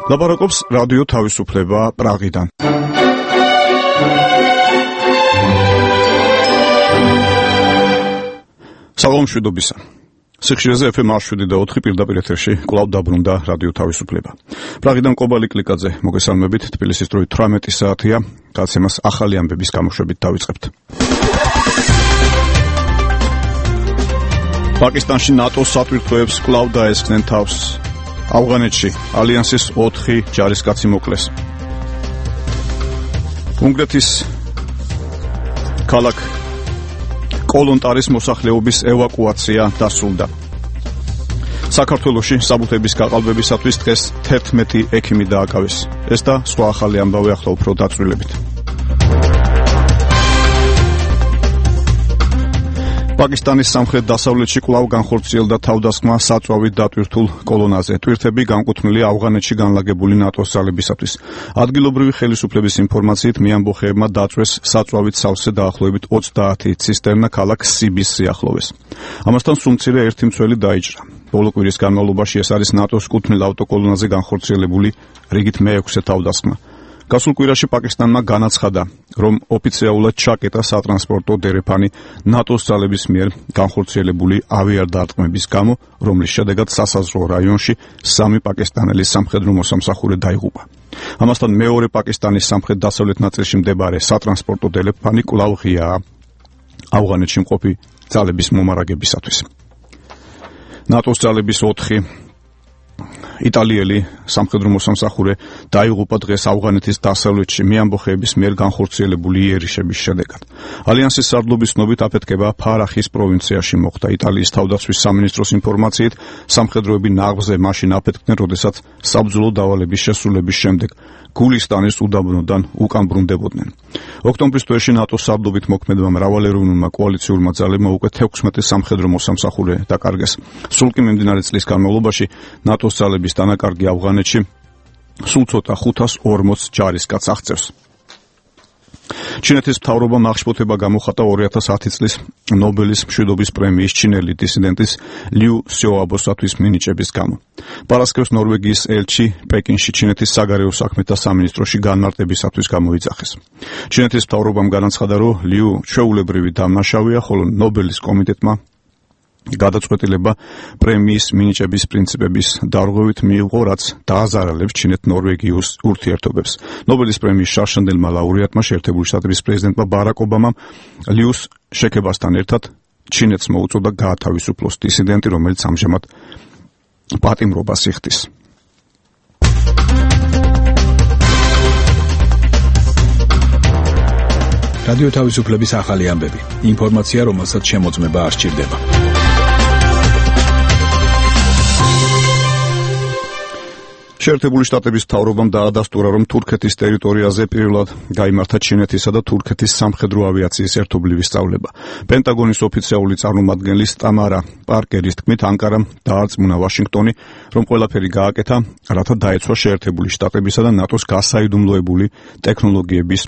ლაპარაკობს რადიო თავისუფლება პრაღიდან. საღამომშვიდობისა. სიხშირეზე FM 107.4 პირდაპირ ეთერში კვლავ დაბრუნდა რადიო თავისუფლება. პრაღიდან კობალი კლიკაძე მოგესალმებით. თბილისის დროით 18 საათია. გაცემას ახალი ამბების გამოშვებით დავიწყებთ. პაკისტანში ნატოს სატვირთოებს კვლავ დაესხნენ თავს. ავღანეთში ალიანსის 4 ჯარისკაცი მოკლეს. უნგრეთის ქალაქ კოლონტარის მოსახლეობის ევაკუაცია დასრულდა. საქართველოში საბუთების გაყალბებისათვის დღეს 11 ექიმი დააკავეს. ეს და სხვა ახალი ამბავი ახლა უფრო დაწვრილებით. პაკისტანის სამხრეთ-დასავლეთში კვლავ განხორციელდა თავდასხმა საწვავით დატვირთულ კოლონაზე. ტვირთები განკუთვნილია ავღანეთში განლაგებული ნატოს ძალებისათვის. ადგილობრივი ხელისუფლების ინფორმაციით მეამბოხეებმა დაწვეს საწვავით სავსე დაახლოებით 30 ცისტერნა ქალაქ სიბის სიახლოვეს. ამასთან სულ მცირე ერთი მცველი დაიჭრა. ბოლო კვირის განმავლობაში ეს არის ნატოს კუთვნილ ავტოკოლონაზე განხორციელებული რიგით მე-6 თავდასხმა. გასულ კვირაში პაკისტანმა განაცხადა, რომ ოფიციალურად ჩაკეტა სატრანსპორტო დერეფანი ნატოს ძალების მიერ განხორციელებული ავიარდარტყმების გამო, რომლის შედეგად სასაზღვრო რაიონში 3 პაკისტანელის სამხედრო მოსამსახურე დაიღუპა. ამასთან მეორე პაკისტანის სამხრეთ-დასავლეთ ნაწილში მდებარე სატრანსპორტო დერეფანი კვლავ ღიაა ავღანეთში მყოფი ძალების მომარაგებისათვის. ნატოს ძალების 4 იტალიელი სამხედრო მოსამსახურე დაიღუპა დღეს ავღანეთის დასავლეთში მეამბოხეების მიერ განხორციელებული იერიშების შედეგად. ალიანსის სარდლობის ცნობით აფეთქება ფარახის პროვინციაში მოხდა. იტალიის თავდაცვის სამინისტროს ინფორმაციით სამხედროები ნაღზე მაშინ აფეთქდნენ, როდესაც საბრძოლო დავალების შესრულების შემდეგ გულისტანის უდაბნოდან უკან ბრუნდებოდნენ. ოქტომბრის თვეში ნატოს სარდლობით მოქმედმა მრავალეროვნულმა კოალიციურმა ძალებმა უკვე 16 სამხედრო მოსამსახურე დაკარგეს. სულ კი მიმდინარე წლის განმავლობაში ნატოს ძალების დანაკარგი ავღანეთში სულ ცოტა 540 ჯარისკაცს აღწევს. ჩინეთის მთავრობამ აღშფოთება გამოხატა 2010 წლის ნობელის მშვიდობის პრემიის ჩინელი დისიდენტის ლიუ სიოაბოსათვის მინიჭების გამო. პარასკევს ნორვეგიის ელჩი პეკინში ჩინეთის საგარეო საქმეთა სამინისტროში განმარტებისათვის გამოიძახეს. ჩინეთის მთავრობამ განაცხადა, რომ ლიუ ჩვეულებრივი დამნაშავეა, ხოლო ნობელის კომიტეტმა გადაწყვეტილება პრემიის მინიჭების პრინციპების დარღვევით მიიღო, რაც დააზარალებს ჩინეთ-ნორვეგიოს ურთიერთობებს. ნობელის პრემიის შარშანდელმა ლაურეატმა შეერთებული შტატების პრეზიდენტმა ბარაკ ობამამ ლიუს შექებასთან ერთად ჩინეთს მოუწოდა გაათავისუფლოს დისიდენტი, რომელიც ამჟამად პატიმრობას იხდის. რადიო თავისუფლების ახალი ამბები. ინფორმაცია, რომელსაც შემოწმება არ სჭირდება. შეერთებული შტატების მთავრობამ დაადასტურა, რომ თურქეთის ტერიტორიაზე პირველად გაიმართა ჩინეთისა და თურქეთის სამხედრო ავიაციის ერთობლივი სწავლება. პენტაგონის ოფიციალური წარმომადგენლის ტამარა პარკერის თქმით, ანკარამ დაარწმუნა ვაშინგტონი, რომ ყველაფერი გააკეთა, რათა დაეცვა შეერთებული შტატებისა და ნატოს გასაიდუმლოებული ტექნოლოგიების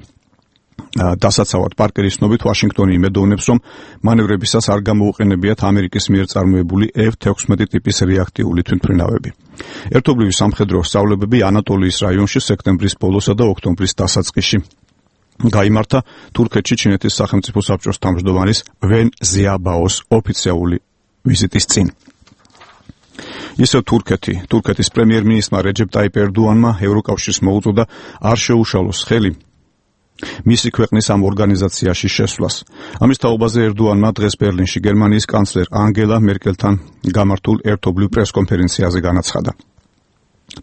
დასაცავად. პარკერის ცნობით ვაშინგტონი იმედოვნებს, რომ მანევრებისას არ გამოუყენებიათ ამერიკის მიერ წარმოებული F-16 ტიპის რეაქტიული თვითმფრინავები. ერთობლივი სამხედრო სწავლებები ანატოლიის რაიონში სექტემბრის ბოლოსა და ოქტომბრის დასაწყისში გაიმართა თურქეთში ჩინეთის სახელმწიფო საბჭოს თავმჯდომარის ვენ ზიაბაოს ოფიციალური ვიზიტის წინ. ისევ თურქეთის პრემიერ-მინისტრმა რეჯეპ ტაიპ ერდოანმა ევროკავშირს მოუწოდა არ შეუშალოს ხელი მისი ქვეყნის ამ ორგანიზაციაში შესვლას. ამის თაობაზე ერდოანმა დღეს ბერლინში გერმანიის კანცლერ ანგელა მერკელთან გამართულ ერთობლივ პრესკონფერენციაზე განაცხადა.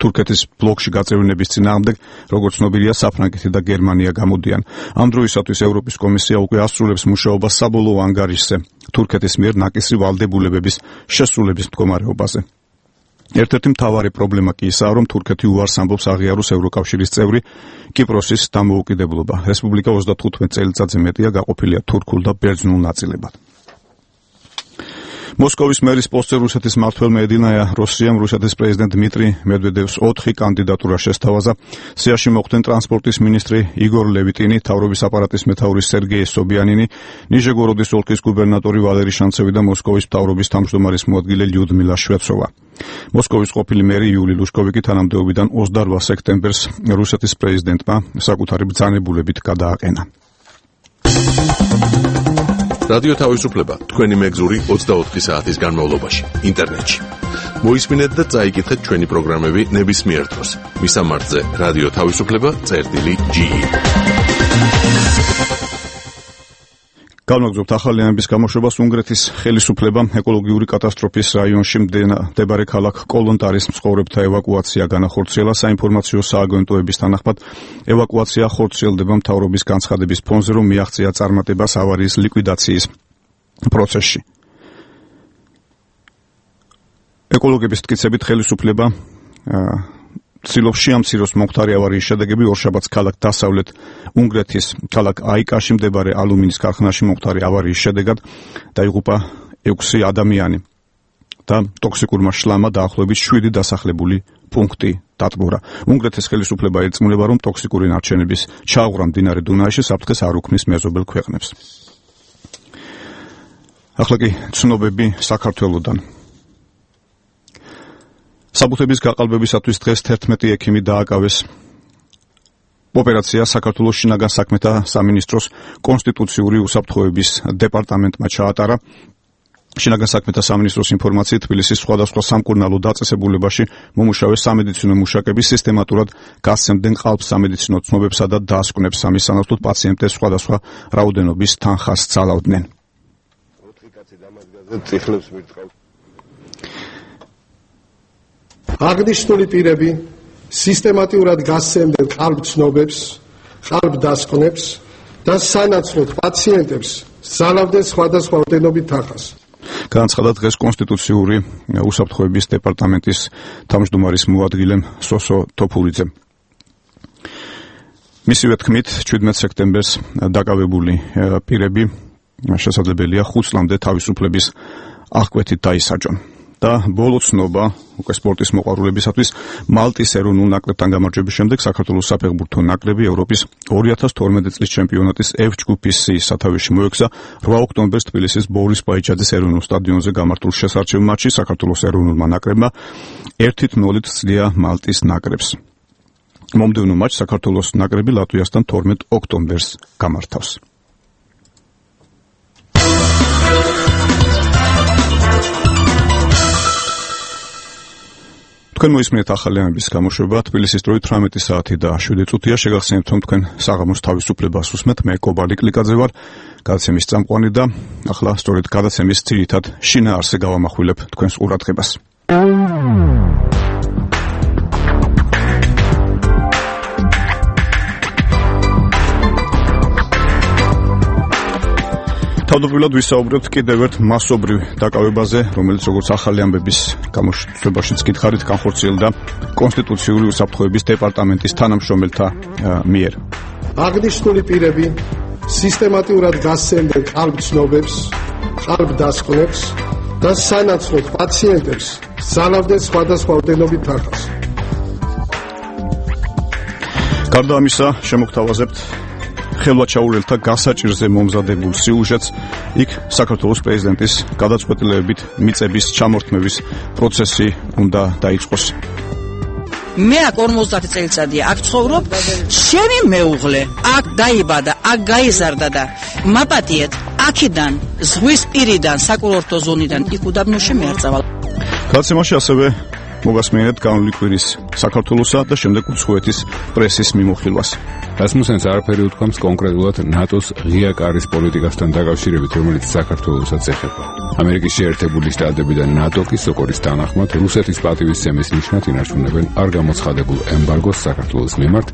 თურქეთის ბლოკში გაწევრიანების წინააღმდეგ, როგორც ცნობილია, საფრანგეთი და გერმანია გამოდიან. ამ დროისათვის ევროპის კომისია უკვე ასრულებს მუშაობას საბოლოო ანგარიშზე თურქეთის მიერ ნაკისრი ვალდებულებების შესრულების მდგომარეობაზე. ერთ-ერთი მთავარი პრობლემა კი ისაა, რომ თურქეთი უარს ამბობს აღიაროს ევროკავშირის წევრი კიპროსის დამოუკიდებლობა. რესპუბლიკა 35 წელიწადზე მეტია გაყოფილია თურქულ და ბერძნულ ნაწილებად. მოსკოვის მერის პოსტზე რუსეთის მმართველმა ედინაია როსიამ რუსეთის პრეზიდენტ დმიტრი მედვედევს 4 კანდიდატურა შესთავაზა. სიაში მოხვდნენ ტრანსპორტის მინისტრი იგორ ლევიტინი, მთავრობის აპარატის მეთაური სერგეი სობიანინი, ნიჟეგოროდის ოლქის გუბერნატორი ვალერი შანცევი და მოსკოვის მთავრობის თავმჯდომარის მოადგილე ლიუდმილა შვეცოვა. მოსკოვის ყოფილი მერი იული ლუშკოვი კი თანამდებობიდან 28 სექტემბერს რუსეთის პრეზიდენტმა საკუთარი ბრძანებულებით გადააყენა. რადიო თავისუფლება თქვენი მეგზური 24 საათის განმავლობაში ინტერნეტში. მოისმინეთ და წაიკითხეთ ჩვენი პროგრამები ნებისმიერ დროს. მისამართზე რადიო თავისუფლება.ge. განვაგრძობთ ახალიანების გამოშვებას. უნგრეთის ხელისუფლებამ ეკოლოგიური კატასტროფის რაიონში მდებარე ქალაქ კოლონტარის მცხოვრებთა ევაკუაცია განახორციელა. საინფორმაციო სააგენტოების თანახმად ევაკუაცია ხორციელდება მთავრობის განცხადების ფონზე, რომ მიაღწია წარმატებას ავარიის ლიკვიდაციის პროცესში. ეკოლოგების მტკიცებით ხელისუფლება ცდილობს შეამციროს მომხდარი ავარიის შედეგები. ორშაბათს ქალაქ დასავლეთ უნგრეთის ქალაქ აიკაში მდებარე ალუმინის ქარხანაში მომხდარი ავარიის შედეგად დაიღუპა 6 ადამიანი და ტოქსიკურმა შლამა დაახლოებით 7 დასახლებული პუნქტი დატბორა. უნგრეთის ხელისუფლება ერწმულება, რომ ტოქსიკური ნარჩენების ჩააღვრა მდინარე დუნაიში საფრთხეს არ უქმნის მეზობელ ქვეყნებს. ახლა კი ცნობები საქართველოდან. საბუთების გაყალბებისათვის დღეს 11 ექიმი დააკავეს. ოპერაცია საქართველოს შინაგან საქმეთა სამინისტროს კონსტიტუციური უსაფრთხოების დეპარტამენტმა ჩაატარა. შინაგან საქმეთა სამინისტროს ინფორმაციით თბილისის სხვადასხვა სამკურნალო დაწესებულებაში მომუშავე სამედიცინო მუშაკები სისტემატურად გასცემდნენ ყალბ სამედიცინო ცნობებსა და დასკვნებს. ამის სანაცვლოდ პაციენტებს სხვადასხვა რაოდენობის თანხას ძალავდნენ. აღნიშნული პირები სისტემატურად გასცემდნენ ყალბ ცნობებს, ყალბ დასკვნებს და სანაცვლოდ პაციენტებს ძალავდნენ სხვადასხვა რაოდენობით თანხას. განაცხადა დღეს კონსტიტუციური უსაფრთხოების დეპარტამენტის თავმჯდომარის მოადგილემ სოსო თოფურიძემ. მისივე თქმით, 17 სექტემბერს დაკავებული პირები შესაძლებელია 5 წლამდე თავისუფლების აღკვეთით დაისაჯონ. და ბოლო ცნობა უკვე სპორტის მოყვარულებისათვის მალტის ეროვნულ ნაკრებთან გამარჯვების შემდეგ საქართველოს საფეხბურთო ნაკრები ევროპის 2012 წლის ჩემპიონატის F ჯგუფის სათავეში მოექცა. 8 ოქტომბერს თბილისის ბორის პაიჩაძის ეროვნულ სტადიონზე გამართულ შესარჩევ მატჩში საქართველოს ეროვნულმა ნაკრებმა 1-0 ცდია მალტის ნაკრებს. მომდევნო მატჩს საქართველოს ნაკრები ლატვიასთან 12 ოქტომბერს გამართავს. თქვენ მოისმინეთ ახალიანების გამოშვება. თბილისის დროით 18 საათი და 7 წუთია. შეგახსენებთ, რომ თქვენ საღამოს თავისუფლებას უსმენთ. მე კობალი კლიკაძე ვარ, გადაცემის წამყვანი და ახლა სწორედ გადაცემის ძირითად შინაარსზე გავამახვილებ თქვენს ყურადღებას. თავდაპირველად ვისაუბრებთ კიდევ ერთ მასობრივ დაკავებაზე, რომელიც როგორც ახალი ამბების გამოშვებაშიც გითხარით, განხორციელდა კონსტიტუციური უსაფრთხოების დეპარტამენტის თანამშრომელთა მიერ. აღნიშნული პირები სისტემატურად გასცემდნენ ყალბ ცნობებს, ყალბ დასკვნებს და სანაცვლოდ პაციენტებს ძალავდნენ სხვადასხვა რაოდენობით თანხას. გარდა ამისა, შემოგთავაზებთ ხელვაჩაურელთა გასაჭირზე მომზადებულ სიუჟეტს. იქ საქართველოს პრეზიდენტის გადაწყვეტილებებით მიწების ჩამორთმევის პროცესი უნდა დაიწყოს. მე აქ 50 წელიწადია აქ ცხოვრობ, შენი მეუღლე აქ დაიბადა, აქ გაიზარდა და მაპატიეთ აქედან ზღვის პირიდან, საკურორტო ზონიდან იქ უდაბნოში მე არ წავალ. გადაცემაში ასევე მოგასმენთ განვლილი კვირის საქართველოსა და შემდეგ უცხოეთის პრესის მიმოხილვას. რასმუსენს არაფერი უთქვამს კონკრეტულად ნატოს ღია კარის პოლიტიკასთან დაკავშირებით, რომელიც საქართველოსაც ეხება. ამერიკის შეერთებული შტატები და ნატო კი სოკორის თანახმად რუსეთის პატივისცემის ნიშნად ინარჩუნებენ არ გამოცხადებულ ემბარგოს საქართველოს მიმართ.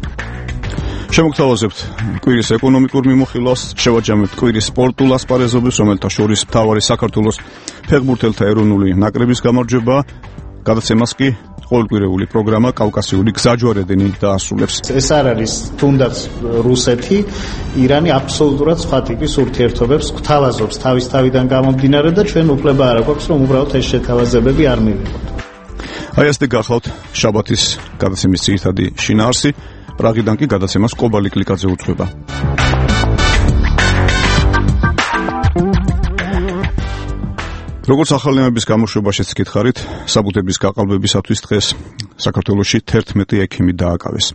შემოგთავაზებთ კვირის ეკონომიკურ მიმოხილვას, შევაჯამებთ კვირის სპორტულ ასპარეზობებს, რომელთა შორის მთავარი საქართველოს ფეხბურთელთა ეროვნული ნაკრების გამარჯვება. გადაცემას კი ყოველკვირეული პროგრამა კავკასიური გზაჯვარედინი დაასრულებს. ეს არ არის თუნდაც რუსეთი, ირანი აბსოლუტურად სხვა ტიპის ურთიერთობებს გვთავაზობს თავის თავიდან გამომდინარე და ჩვენ უფლება არ აქვს რომ უბრალოდ ეს შეთავაზებები არ მივიღოთ. აი ასე გახლავთ შაბათის გადაცემის ძირითადი შინაარსი. პრაღიდან კი გადაცემას კობალი კლიკაძე უძღვება. როგორც ახალნაირების გამოშვებაშიც გითხარით, საბუთების გაყალბებისათვის დღეს საქართველოში 11 ექიმი დააკავეს.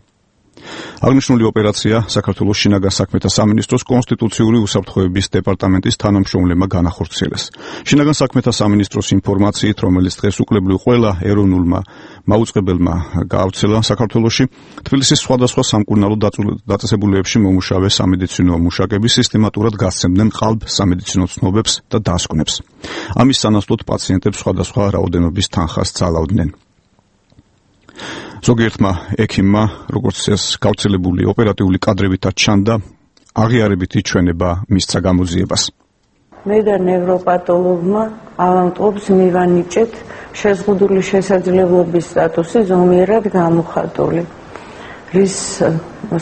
აღნიშნული ოპერაცია საქართველოს შინაგან საქმეთა სამინისტროს კონსტიტუციური უსაფრთხოების დეპარტამენტის თანამშრომლებმა განახორციელეს. შინაგან საქმეთა სამინისტროს ინფორმაციით, რომელიც დღეს უკლებლივ ყველა ეროვნულმა მაუწყებელმა გაავრცელა საქართველოში, თბილისის სხვადასხვა სამკურნალო დაწესებულებებში მომუშავე სამედიცინო მუშაკები სისტემატურად გასცემდნენ ყალბ სამედიცინო ცნობებს და დასკვნებს. ამის სანაცვლოდ პაციენტებს სხვადასხვა რაოდენობის თანხას ძალავდნენ. ზოგიერთმა ექიმმა, როგორც ეს გავრცელებული ოპერატიული კადრებითაც ჩანდა, აღიარებითი ჩვენება მისცა გამოძიებას. მე და ნევროპათოლოგმა ავადმყოფს მივანიჭეთ შეზღუდული შესაძლებლობის სტატუსი ზომიერად გამოხატული, რის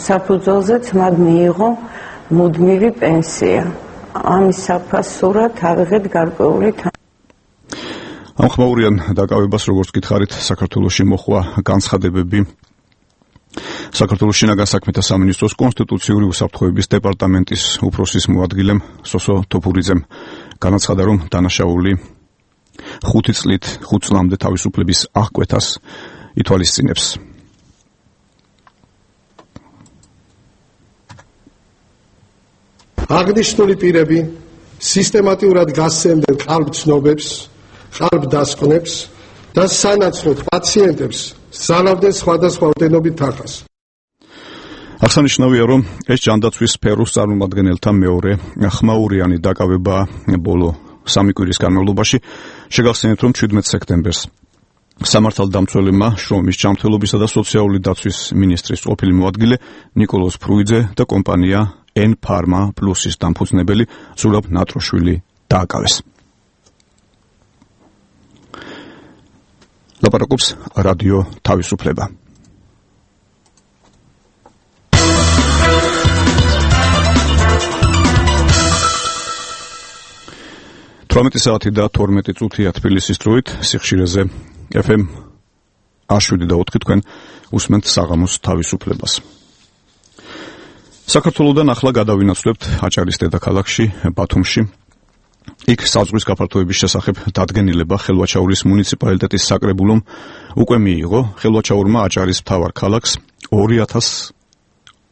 საფუძველზეც მათ მიიღო მუდმივი პენსია. ამის საფასურად ავიღეთ გარკვეული ამ ხმაურიან დაკავებას, როგორც გითხარით, საქართველოში მოხვა განცხადებები საქართველოს შინაგან საქმეთა სამინისტროს კონსტიტუციური უსაფრთხოების დეპარტამენტის უფროსის მოადგილემ სოსო თოფურიძემ. განაცხადა, რომ დანაშაული 5 წლამდე თავისუფლების აღკვეთას ითვალისწინებს. აღნიშნული პირები სისტემატურად გასცემდნენ ყალბ ცნობებს, ყალბ დასკვნებს და სანაცვლოდ პაციენტებს ზალავდნენ სხვადასხვა ოდენობით თანხას. აღსანიშნავია, რომ ეს ჯანდაცვის სფეროს წარმომადგენელთა მეორე ხმაურიანი დაკავება ბოლო 3 კვირის განმავლობაში. შეგახსენებთ, რომ 17 სექტემბერს სამართალდამცველებმა შრომის ჯანმრთელობისა და სოციალური დაცვის მინისტრის ყოფილი მოადგილე ნიკოლოზ ფრუიძე და კომპანია N-Pharma Plus-ის დამფუძნებელი ზურაბ ნატროშვილი დააკავეს. ლაპარაკობს რადიო თავისუფლება. 18 საათი და 12 წუთია თბილისის დროით, სიხშირეზე FM 107.4 თქვენ უსმენთ საღამოს თავისუფლებას. საქართველოდან ახლა გადავინაცვლებთ აჭარის დედაქალაქში, ბათუმში. იქ საზღვრის გაფართოების შესახებ დადგენილება ხელვაჩაურის მუნიციპალიტეტის საკრებულომ უკვე მიიღო. ხელვაჩაურმა აჭარის მთავარ ქალაქს 2000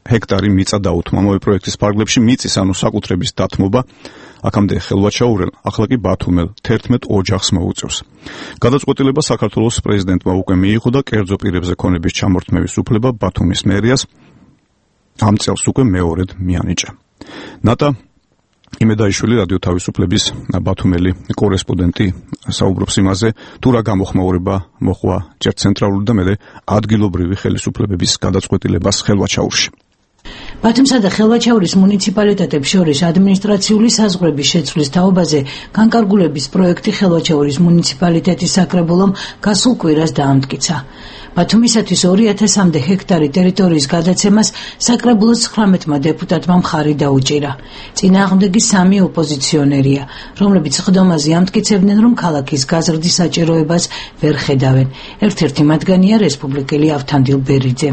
ჰექტარი მიწა დაუთმო. ამავე პროექტის ფარგლებში მიწის ანუ საკუთრების დათმობა აქამდე ხელვაჩაურელ, ახლა კი ბათუმელ 11 ოჯახს მოუწევს. გადაწყვეტილება საქართველოს პრეზიდენტმა უკვე მიიღო და კერძო პირებზე ქონების ჩამორთმევის უფლება ბათუმის მერიას ამ წელს უკვე მეორედ მიანიჭა. ნატა იმედაიშვილი რადიო თავისუფლების ბათუმელი კორესპონდენტი საუბრობს იმაზე, თუ რა გამოხმაურება მოხვა ჯერ ცენტრალური და მერე ადგილობრივი ხელისუფლებების გადაწყვეტილებას ხელვაჩაურში. ბათუმსა და ხელვაჩაურის მუნიციპალიტეტებს შორის ადმინისტრაციული საზღვრების შეცვლის თაობაზე განკარგულების პროექტი ხელვაჩაურის მუნიციპალიტეტის საკრებულომ გასულ კვირას დაამტკიცა. ბათუმისათვის 2000-მდე ჰექტარი ტერიტორიის გადაცემას საკრებულოს 19 დეპუტატმა მხარი დაუჭირა. წინააღმდეგი 3 ოპოზიციონერია, რომლებიც ხდომაზე ამტკიცებდნენ, რომ ქალაქის გაზრდის საჭიროებას ვერ ხედავენ. ერთ-ერთი მათგანია რესპუბლიკელი ავთანდილ ბერიძე.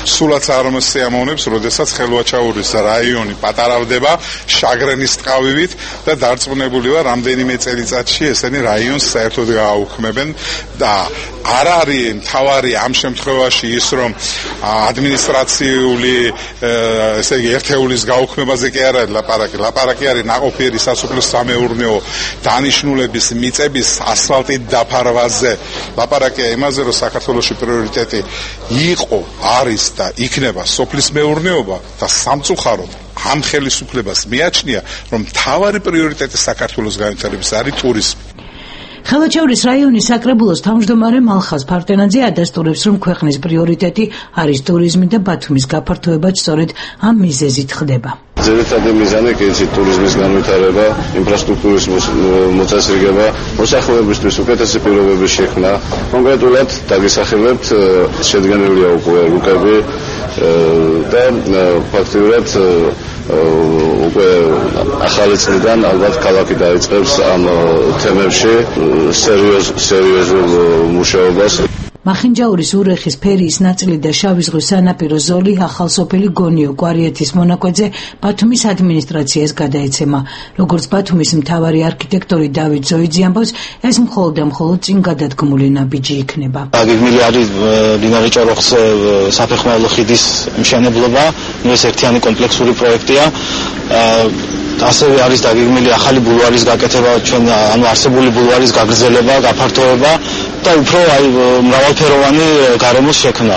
სულაც არ მოსიამოვნებს, როდესაც ხელვაჩაურის რაიონი პატარავდება შაგრენის ტყავივით და დარწმუნებული ვარ, რამდენიმე წელიწადში ესენი რაიონს საერთოდ გააუქმებენ და არ არის მთავარი ამ შემთხვევაში ის, რომ ადმინისტრაციული ესე იგი ერთეულის გაუქმებაზე კი არ არის ლაპარაკი არის ნაყოფიერი სასოფლო სამეურნეო დანიშნულების მიწების ასფალტით დაფარვაზე. ლაპარაკია იმაზე, რომ საქართველოში პრიორიტეტი იყო, არის და იქნება სოფლის მეურნეობა და სამწუხაროდ ამ ხელისუფლებას მიაჩნია, რომ მთავარი პრიორიტეტი საქართველოს განვითარების არის ტურიზმი. ხელვაჩაურის რაიონის საკრებულოს თავმჯდომარე მალხაზ ფარტენაძე ადასტურებს, რომ ქვეყნის პრიორიტეტი არის ტურიზმი და ბათუმის გაფართოებაც სწორედ ამ მიზეზით ხდება. ძირითადი მიზანი კი იცით ტურიზმის განვითარება, ინფრასტრუქტურის მოწესრიგება, მოსახლეობისთვის უკეთესი პირობების შექმნა. კონკრეტულად დაგესახელებთ შედგენილია უკვე რუკები და ფაქტიურად უკვე ახალი წლიდან ალბათ ქალაქი დაიწყებს ამ თემებში სერიოზულ მუშაობას. მახინჯაურის ურეხის ფერიის ნაწილი და შავი ზღვის სანაპირო ზოლი ახალსოფელი გონიო კვარიეთის მონაკვეთზე ბათუმის ადმინისტრაციას გადაეცემა. როგორც ბათუმის მთავარი არქიტექტორი დავით ზოიძე ამბობს, ეს მხოლოდ და მხოლოდ წინ გადადგმული ნაბიჯი იქნება. გეგმილი არის მდინარე ჭოროხის საფეხმავლო ხიდის მშენებლობა, ეს ერთიანი კომპლექსური პროექტია. ასევე არის დაგეგმილი ახალი ბულვარის გაკეთება, ანუ არსებული ბულვარის გაგრძელება, გაფართოება და უფრო მრავალფეროვანი გარემოს შექმნა.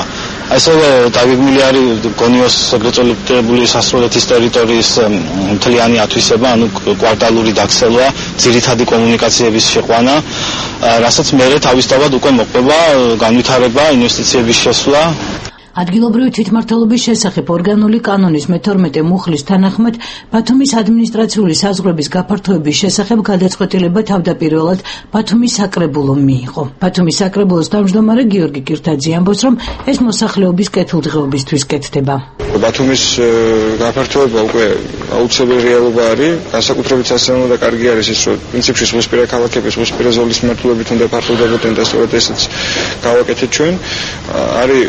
ასევე დაგეგმილი არის გონიოს ეგრეთ წოდებული სასწავლეთის ტერიტორიის მთლიანი ათვისება, ანუ კვარტალური დაქცევა, ძირითადი კომუნიკაციების შეყვანა, რასაც მერე თავისთავად უკვე მოყვება განვითარება, ინვესტიციების შესვლა. ადგილობრივი თვითმმართველობის შესახებ ორგანული კანონის მე-12 მუხლის თანახმად ბათუმის ადმინისტრაციული საზღვრების გაფართოების შესახებ გადაწყვეტილება თავდაპირველად ბათუმის საკრებულომ მიიღო. ბათუმის საკრებულოს თავმჯდომარე გიორგი კირთაძე ამბობს, რომ ეს მოსახლეობის კეთილდღეობისთვის კეთდება. ბათუმის გაფართოება უკვე აუცილებელი რეალობა არის, განსაკუთრებით სასწაულო და კარგი არის ის, რომ პრინციპში ზღვისპირა ქალაქები ზღვისპირა ზოლის მიმართულებით უნდა ფართოვდებოდნენ და სწორედ ესეც გავაკეთეთ ჩვენ. არის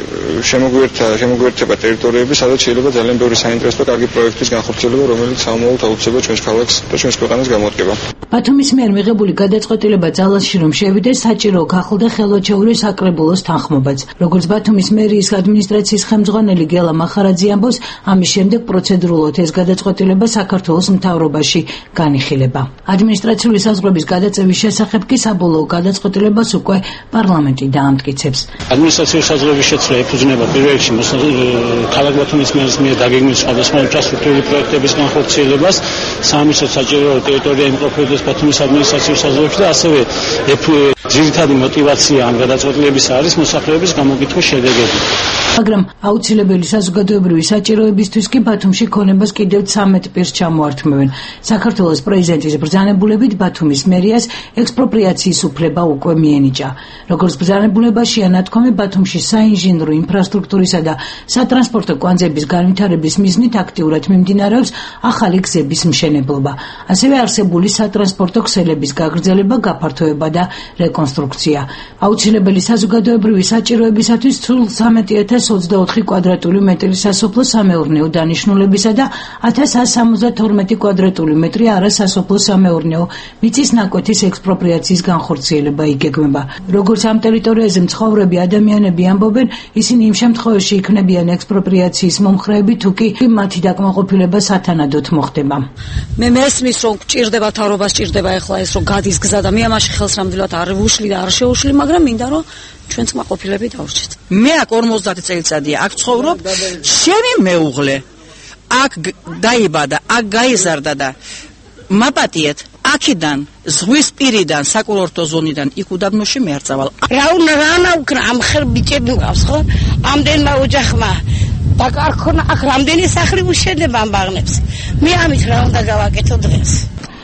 შემოგვიერთება ტერიტორიები, სადაც შეიძლება ძალიან ბევრი საინტერესო და კარგი პროექტის განხორციელება, რომელიც სამომავლოდ აუცილებლად ჩვენს ქალაქს და ჩვენს ქვეყანას გამოდგება. ბათუმის მიერ მიღებული გადაწყვეტილება ძალაში რომ შევიდეს, საჭირო გახლდა ხელვაჩაურის საკრებულოს თანხმობაც. როგორც ბათუმის მერიის ადმინისტრაციის ხელმძღვანელი გელა მახარაძე ამბობს, ამის შემდეგ პროცედურულად ეს გადაწყვეტილება საქართველოს მთავრობაში განიხილება. ადმინისტრაციული საზღვრების გადაწევის შესახებ კი საბოლოო გადაწყვეტილებას უკვე პარლამენტი დაამტკიცებს. ადმინისტრაციული საზღვრების შეცვლა ეფუძნება პირველ რიგში ქალაქ ბათუმის მერის მიერ დაგეგმილი სხვადასხვა ინფრასტრუქტურული პროექტების განხორციელებას, სამინისტროს საჭირო ტერიტორია იმყოფებოდეს ბათუმის ადმინისტრაციულ საზღვრებში და ასევე ძირითადი мотивация ამ გადაწყვეტილების არის მოსახლეობის გამოკითხვის შედეგები. მაგრამ აუცილებელი საზოგადოებრივი საჭიროებისთვის კი ბათუმში ქონებას კიდევ 13 პირს ჩამოართმევენ. საქართველოს პრეზიდენტის ბრძანებულებით ბათუმის მერიას ექსპროპრიაციის უფლება უკვე მიენიჭა. როგორც ბრძანებულებაშია ნათქვამი, ბათუმში საინჟინრო ინფრასტრუქტურისა და სატრანსპორტო კვანძების განვითარების მიზნით აქტიურად მიმდინარეობს ახალი გზების მშენებლობა. ასევე არსებული სატრანსპორტო ქსელების გაგრძელება, გაფართოება და რეკონსტრუქცია. აუცილებელი საზოგადოებრივი საჭიროებისათვის სულ 13,024 კვადრატული მეტრი სასოფლო სამეურნეო დანიშნულებისა და 1172 კვადრატული მეტრი არასასოფლო სამეურნეო მიწის ნაკვეთის ექსპროპრიაციის განხორციელება იგეგმება. როგორც ამ ტერიტორიაზე მცხოვრები ადამიანები ამბობენ, ისინი იმ შემთხვევაში იქნებიან ექსპროპრიაციის მომხრეები, თუ კი მათი დაკმაყოფილება სათანადოდ მოხდება. მე მესმის, რომ გჭირდება თავრობა, სჭირდება ეხლა ეს რომ გადის გზა და მე ამაში ხელს რამდილად არ ვუშლი და არ შეუშლი, მაგრამ მინდა რომ ჩვენც მაყოფილები დავრჩეთ. მე აქ 50 წელიწადია აქ ცხოვრობ, შენი მეუღლე აქ დაიბადა, აქ გაიზარდა და მაპატიეთ აქედან ზღვის პირიდან საკურორტო ზონიდან იქ უდაბნოში მე არ წავალ. რაუნა უკრა ამ ხერ ბიჭები მყავს ხო? ამდენმა ოჯახმა დაკარქონა აქ რამდენი სახლი უშენება ამ ბაღნებს. მე ამით რა უნდა გავაკეთო დღეს?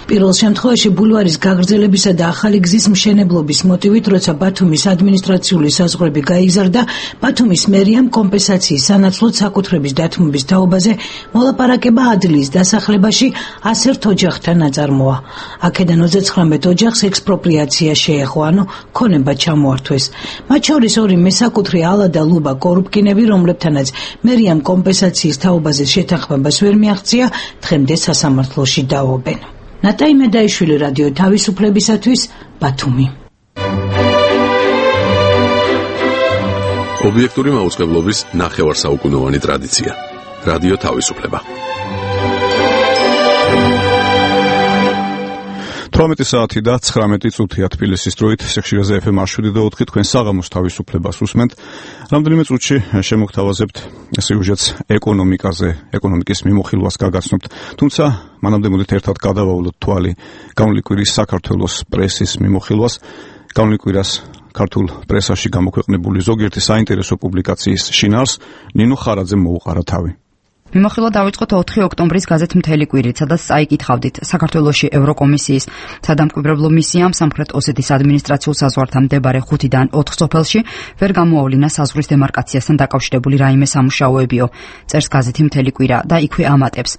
პირველ შემთხვევაში ბულვარის გაგრძელებისა და ახალი გზის მშენებლობის მოტივით, როცა ბათუმის ადმინისტრაციული საზღვრები გაიზარდა, ბათუმის მერიამ კომპენსაციის სანაცვლოდ საკუთრების დათმობის თაობაზე მოლაპარაკება ადლიის დასახლებაში 101 ოჯახთან აწარმოა. აქედან 39 ოჯახს ექსპროპრიაცია შეეხო, ანუ ქონება ჩამოართვეს. მათ შორის 2 მესაკუთრე ალა და ლუბა კორუფკინები, რომლებთანაც მერიამ კომპენსაციის თაობაზე შეთანხმებას ვერ მიაღწია, დღემდე სასამართლოში დაობენ. ნატაი მედაიშვილი, რადიო თავისუფლებისათვის, ბათუმი. ობიექტური მაუწყებლობის ნახევარსაუკუნოვანი ტრადიცია. რადიო თავისუფლება. 18 საათი და 19 წუთია თბილისის დროით, სიხშირეზე FM 107.4 თქვენ საღამოს თავისუფლებას უსმენთ. რამდენიმე წუთში შემოგთავაზებთ სიუჟეტს ეკონომიკაზე, ეკონომიკის მიმოხილვას გაგაცნობთ. თუმცა მანამდე მოდით ერთად გადავავლოთ თვალი გამოვლი კვირის საქართველოს პრესის მიმოხილვას. გამოვლი კვირას ქართულ პრესაში გამოქვეყნებული ზოგიერთი საინტერესო პუბლიკაციის შინაარს ნინო ხარაძემ მოუყარა თავი. მიმოხილვა დავიწყოთ 4 ოქტომბრის გაზეთ მთელი კვირით, სადაც წაიკითხავდით საქართველოში ევროკომისიის სადამკვირვებლო მისიამ სამხრეთ ოსეთის ადმინისტრაციულ საზღვართან მდებარე 5-დან 4 სოფელში ვერ გამოავლინა საზღვრის დემარკაციასთან დაკავშირებული რაიმე სამუშაოებიო. წერს გაზეთი მთელი კვირა და იქვე ამატებს.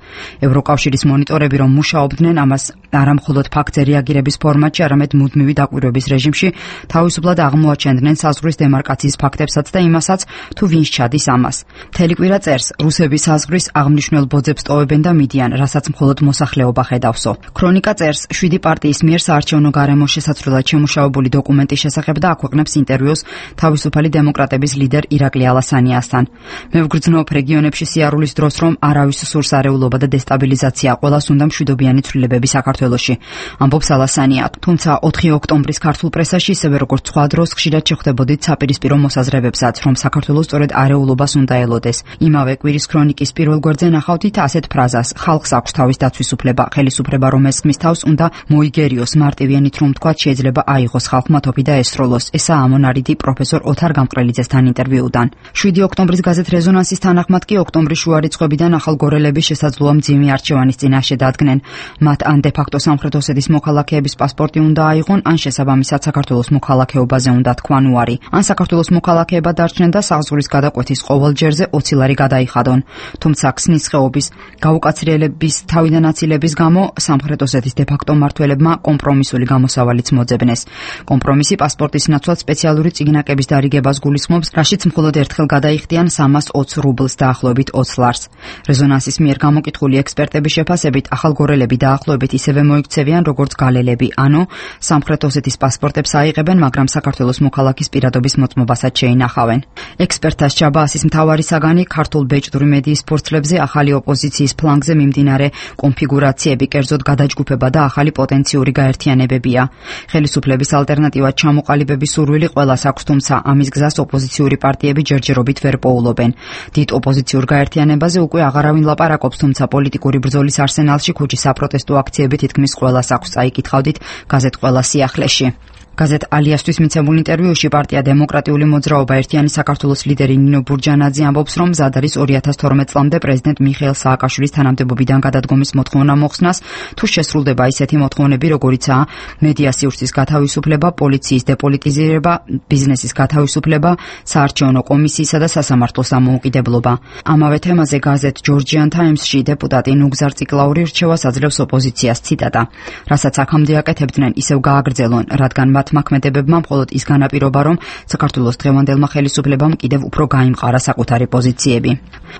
ევროკავშირის მონიტორები რომ მუშაობდნენ, ამას არა მხოლოდ ფაქტზე რეაგირების ფორმატში, არამედ მუდმივი დაკვირვების რეჟიმში თავისუფლად აღმოაჩენდნენ საზღვრის დემარკაციის ფაქტებსაც და იმასაც, თუ ვინც ჩადის ამას. მთელი კვირა წერს, რუსები საზღვრის აღნიშნულ ბოძებს ტოვებენ და მიდიან, რასაც მხოლოდ მოსახლეობა ხედავსო. ქრონიკა წერს, 7 პარტიის მიერ საარჩევნო გარემოს შესაძლებლად შემუშავებული დოკუმენტის შესახებ და აქვეყნებს ინტერვიუს თავისუფალი დემოკრატების ლიდერ ირაკლი ალასანიასთან. მე ვგრძნობ რეგიონებში სიარულის დროს, რომ არავის სურს არეულობა და დესტაბილიზაცია, ყველას უნდა მშვიდობიანი ცვლილებები საქართველოში, ამბობს ალასანია. თუმცა 4 ოქტომბრის ქართულ პრესაში ისევე როგორც სხვა დროს ხშირად შეხვდებოდით საპირისპირო მოსაზრებებსაც, რომ საქართველოს სწორედ არეულობას უნდა ელოდეს. იმავე კვირის ქრონიკის პირველ გვერდზე ნახავთ ასეთ ფრაზას: ხალხს აქვს თავის დაცვის უფლება, ხელისუფლება რომ ესხმის თავს უნდა მოიგერიოს, მარტივიანით რომ თქვათ შეიძლება აიღოს ხალხმა თოფი და ესროლოს. ესაა ამონარიდი პროფესორ ოთარ გამყრელიძესთან ინტერვიუდან. 7 ოქტომბრის გაზეთ რეზონანსის თანახმად კი ოქტომბრის შუა რიცხვებიდან ახალგორელების შესაძლოა მძიმე არჩევანის წინაშე დადგნენ. მათ ან დე-ფაქტო სამხრეთ ოსეთის მოქალაქეების პასპორტი უნდა აიღონ, ან შესაბამისად საქართველოს მოქალაქეობაზე უნდა თქვან უარი, ან საქართველოს მოქალაქეება დარჩნენ და საზღვრის გადაკვეთის ყოველ ჯერზე 20 ლარი გადაიხადონ. თუმცა ქსნის ხეობის გაუკაცრიელების თავიდან აცილების გამო სამხრეთ ოსეთის დე-ფაქტო მმართველებმა კომპრომისული გამოსავალიც მოძებნეს. კომპრომისი პასპორტის ნაცვლად სპეციალური წიგნაკების დარიგებას გულისხმობს, რაშიც მხოლოდ ერთხელ გადაიხდიან 320 რუბლს დაახლოებით 20 ლარს. რეზონანსის მიერ გამოკითხული ექსპერტების შეფასებით ახალგორელები დაახლოებით ისევე მოიქცევიან როგორც გალელები, ანუ სამხრეთ ოსეთის პასპორტებს აიღებენ, მაგრამ საქართველოს მოქალაქის პირადობის მოწმობასაც შეინახავენ. ექსპერტთა ჭაბაასის მთავარი საგანი ქართულ ბეჭდური მედიის ფორცლებზე ახალი ოპოზიციის ფლანგზე მიმდინარე კონფიგურაციები, კერძოდ გადაჯგუფება და ახალი პოტენციური გაერთიანებებია. ხელისუფლების ალტერნატივად ჩამოყალიბების სურვილი ყველას აქვს, თუმცა ამის გზას ოპოზიციური პარტიები ჯერჯერობით ვერ პოულობენ. დიდ ოპოზიციურ გაერთიანებაზე უკვე აღარავინ ლაპარაკობს, თუმცა პოლიტიკური ბრძოლის არსენალში ქუჩის საპროტესტო აქციები თითქმის ყველას აქვს, წაიკითხავდით გაზეთ ყველა სიახლეში. გაზეთ ალიასთვის მიცემულ ინტერვიუში პარტია დემოკრატიული მოძრაობა ერთიანი საქართველოს ლიდერი ნინო ბურჯანაძე ამბობს, რომ მზად არის 2012 წლამდე პრეზიდენტ მიხეილ სააკაშვილის თანამდებობიდან გადადგომის მოთხოვნა მოხსნას, თუ შესრულდება ისეთი მოთხოვნები, როგორიცაა მედია სივრცის გათავისუფლება, პოლიციის დეპოლიტიზირება, ბიზნესის გათავისუფლება, საარჩევნო კომისიისა და სასამართლოს დამოუკიდებლობა. ამავე თემაზე გაზეთ ჯორჯიან ტაიმსში დეპუტატი ნუგზარ ციკლაური რჩევას აძლევს ოპოზიციას, ციტატა: რასაც აქამდე აკეთებდნენ, ისევ გააგრძელონ, რადგან მათ მოქმედებებმა მხოლოდ ის განაპირობა, რომ საქართველოს დღევანდელმა ხელისუფლებამ კიდევ უფრო გაიმყარა საკუთარი პოზიციები.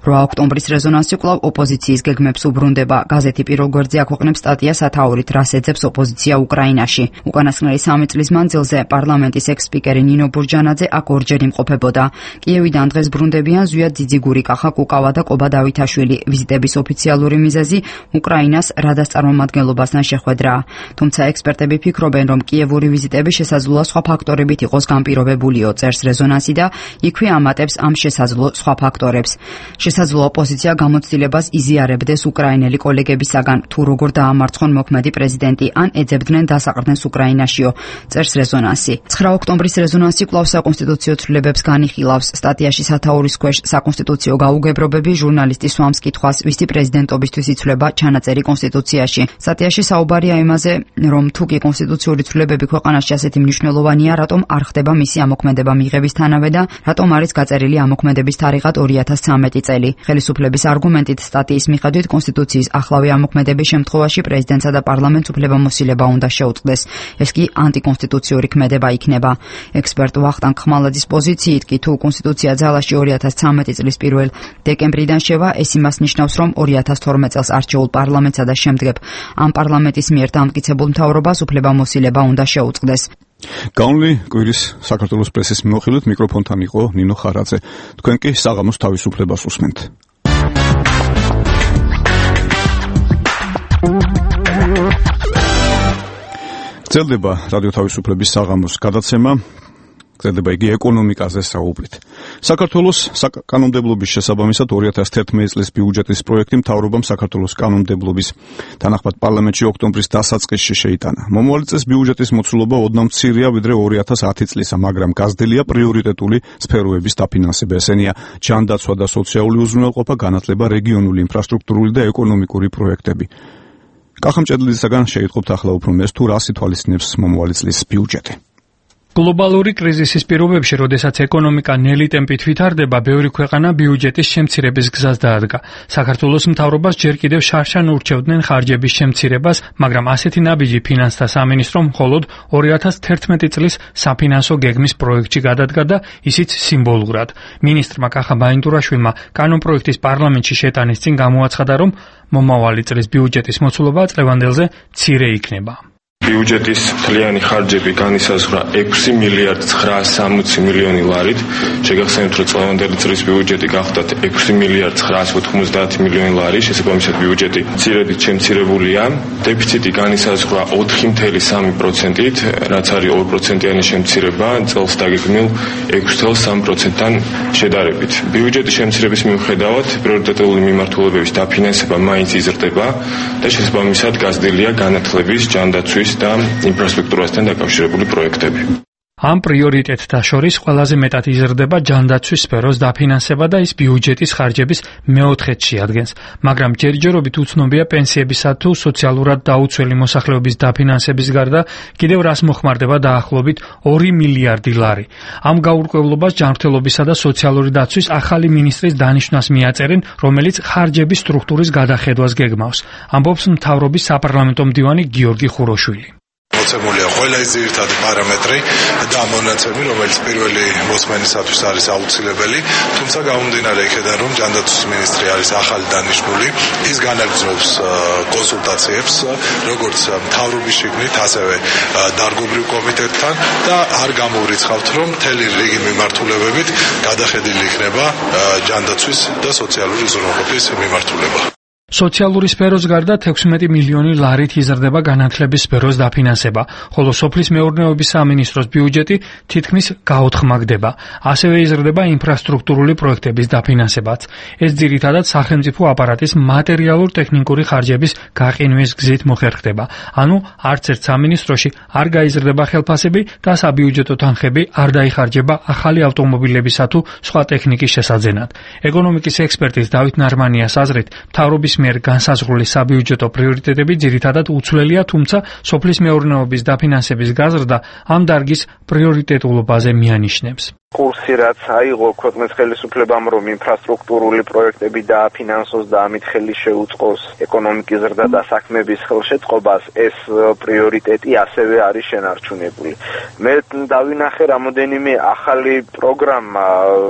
8 ოქტომბრის რეზონანსი კვლავ ოპოზიციის გეგმებს უბრუნდება. გაზეთი პირველ გვერდზე აქვეყნებს სტატია სათაურით, რას ეძებს ოპოზიცია უკრაინაში. უკანასკნელი 3 წლის მანძილზე პარლამენტის ექს-სპიკერი ნინო ბურჯანაძე აქ ორჯერ იმყოფებოდა. კიევიდან დღეს ბრუნდებიან ზვიად ძიძიგური, კახა კუკავა და კობა დავითაშვილი. ვიზიტების ოფიციალური მიზეზი უკრაინას რადას წარმომადგენლობასთან შეხვედრაა. თუმცა ექსპერტები ფიქრობენ, რომ კიევური ვიზიტები შესაძლოა სხვა ფაქტორებით იყოს განპირობებულიო, წერს რეზონანსი და იქვე ამატებს ამ შესაძლო სხვა ფაქტორებს. შესაძლოა ოპოზიცია გამოცდილებას იზიარებდეს უკრაინელი კოლეგებისაგან, თუ როგორ დაამარცხონ მოქმედი პრეზიდენტი, ან ეძებდნენ დასაყრდენს უკრაინაშიო, წერს რეზონანსი. 9 ოქტომბრის რეზონანსი კვლავ საკონსტიტუციო ცვლილებებს განიხილავს. სტატიაში სათაურის ქვეშ საკონსტიტუციო გაუგებრობები, ჟურნალისტი სვამს კითხვას, ვისი პრეზიდენტობისთვის იცვლება ჩანაწერი კონსტიტუციაში. სტატიაში საუბარია იმაზე, რომ თუ კი კონსტიტუციური ცვლილებები ქვეყანაში ასეთი მნიშვნელოვანია, რატომ არ ხდება მისი ამოქმედება მიღებისთანავე და რატომ არის გაწერილი ამოქმედების თარიღად 2013 წელი. ხელისუფლების არგუმენტით სტატიის მიხედვით კონსტიტუციის ახლავე ამოქმედების შემთხვევაში პრეზიდენტსა და პარლამენტს უფლებამოსილება უნდა შეუწყდეს. ეს კი ანტიკონსტიტუციური ქმედება იქნება. ექსპერტ ვახტანგ ხმალაძის პოზიციით კი თუ კონსტიტუცია ძალაში 2013 წლის 1 დეკემბრიდან შევა, ეს იმას ნიშნავს, რომ 2012 წელს არჩეულ პარლამენტსა და შემდგებ ამ პარლამენტის მიერ დამტკიცებულ მთავრობას უფლებამოსილება უნდა შეუწყდეს. გავნლი კვირის საქართველოს პრესის მიმოხილვით მიკროფონთან იყო ნინო ხარაძე. თქვენ კი საღამოს თავისუფლებას უსმენთ. გრძელდება რადიო თავისუფლების საღამოს გადაცემა. გზდება იგი ეკონომიკაზე საუბრით. საქართველოს კანონმდებლობის შესაბამისად 2011 წლის ბიუჯეტის პროექტი მთავრობამ საქართველოს კანონმდებლობის თანახმად პარლამენტში ოქტომბრის დასაწყისში შეიტანა. მომავალი წლის ბიუჯეტის მოცულობა ოდნავ მცირეა ვიდრე 2010 წლისა, მაგრამ გაზრდილია პრიორიტეტული სფეროების დაფინანსება. ესენია ჯანდაცვა და სოციალური უზრუნველყოფა, განათლება, რეგიონული ინფრასტრუქტურული და ეკონომიკური პროექტები. კახამჭედლისაგან შეიტყობთ ახლა უფრო მეს თუ რას ითვალისწინებს მომავალი წლის ბიუჯეტი. გლობალური კრიზისის პირობებში, როდესაც ეკონომიკა ნელი ტემპით ვითარდება, ბევრი ქვეყანა ბიუჯეტის შემცირების გზას დაადგა. საქართველოს მთავრობას ჯერ კიდევ შარშან ურჩევდნენ ხარჯების შემცირებას, მაგრამ ასეთი ნაბიჯი ფინანსთა სამინისტრომ მხოლოდ 2011 წლის საფინანსო გეგმის პროექტში გადადგა და ისიც სიმბოლურად. მინისტრმა კახა ბაინდურაშვილმა კანონპროექტის პარლამენტში შეტანის წინ გამოაცხადა, რომ მომავალი წლის ბიუჯეტის მოცულობა წლევანდელზე მცირე იქნება. ბიუჯეტის მთლიანი ხარჯები განისაზღვრა 6 მილიარდ 960 მილიონი ლარით. შეგახსენებთ, რომ წლევანდელი წლის ბიუჯეტი გახდათ 6 მილიარდ 990 მილიონი ლარი, შესაბამისად ბიუჯეტი მცირედით შემცირებულია. დეფიციტი განისაზღვრა 4.3%-ით, რაც არის 2%-იანი შემცირება წელს დაგეგმილ 6.3%-თან შედარებით. ბიუჯეტის შემცირების მიუხედავად, პრიორიტეტული მიმართულებების დაფინანსება მაინც იზრდება და შესაბამისად გაზრდილია განათლების, ჯანდაცვის და ინფრასტრუქტურასთან დაკავშირებული პროექტები. ამ პრიორიტეტთა შორის ყველაზე მეტად იზრდება ჯანდაცვის სფეროს დაფინანსება და ის ბიუჯეტის ხარჯების მეოთხედში ადგენს, მაგრამ ჯერჯერობით უცნობია პენსიებისა თუ სოციალურად დაუცველი მოსახლეობის დაფინანსების გარდა კიდევ რას მოხმარდება დაახლოებით 2 მილიარდი ლარი. ამ გაურკვევლობას ჯანმრთელობისა და სოციალური დაცვის ახალი მინისტრის დანიშვნას მიაწერენ, რომელიც ხარჯების სტრუქტურის გადახედვას გეგმავს. ამბობს მთავრობის საპარლამენტო მდივანი გიორგი ხუროშვილი. მოცემულია ყველა ის ძირითადი პარამეტრი და მონაცემი, რომელიც პირველი მოსმენისათვის არის აუცილებელი, თუმცა გამომდინარე იქედან, რომ ჯანდაცვის მინისტრი არის ახალი დანიშნული, ის განაგრძობს კონსულტაციებს, როგორც მთავრობის შიგნით, ასევე დარგობრივ კომიტეტთან და არ გამოვრიცხავთ, რომ მთელი რიგი მიმართულებებით გადახედილი იქნება ჯანდაცვის და სოციალური უზრუნველყოფის მიმართულება. სოციალური სფეროს გარდა 16 მილიონი ლარით იზრდება განათლების სფეროს დაფინანსება, ხოლო სოფლის მეურნეობის სამინისტროს ბიუჯეტი თითქმის გაოთხმაგდება. ასევე იზრდება ინფრასტრუქტურული პროექტების დაფინანსებაც. ეს ძირითადად სახელმწიფო აპარატის მატერიალურ-ტექნიკური ხარჯების გაყინვის გზით მოხერხდება. ანუ არც ერთ სამინისტროში არ გაიზრდება ხელფასები და საბიუჯეტო თანხები არ დაიხარჯება ახალი ავტომობილებისა თუ სხვა ტექნიკის შესაძენად. ეკონომიკის ექსპერტის დავით ნარმანიას აზრით, მთავრობის მიერ განსაზღვრული საბიუჯეტო პრიორიტეტები ძირითადად უცვლელია, თუმცა სოფლის მეურნეობის დაფინანსების გაზრდა ამ დარგის პრიორიტეტულობაზე მიანიშნებს. კურსი რაც აიღო ქვეყნის ხელისუფლებამ, რომ ინფრასტრუქტურული პროექტები დააფინანსოს და ამით ხელი შეუწყოს ეკონომიკის ზრდა და საქმების ხელშეწყობას, ეს პრიორიტეტი ასევე არის შენარჩუნებული. მე დავინახე რამოდენიმე ახალი პროგრამა,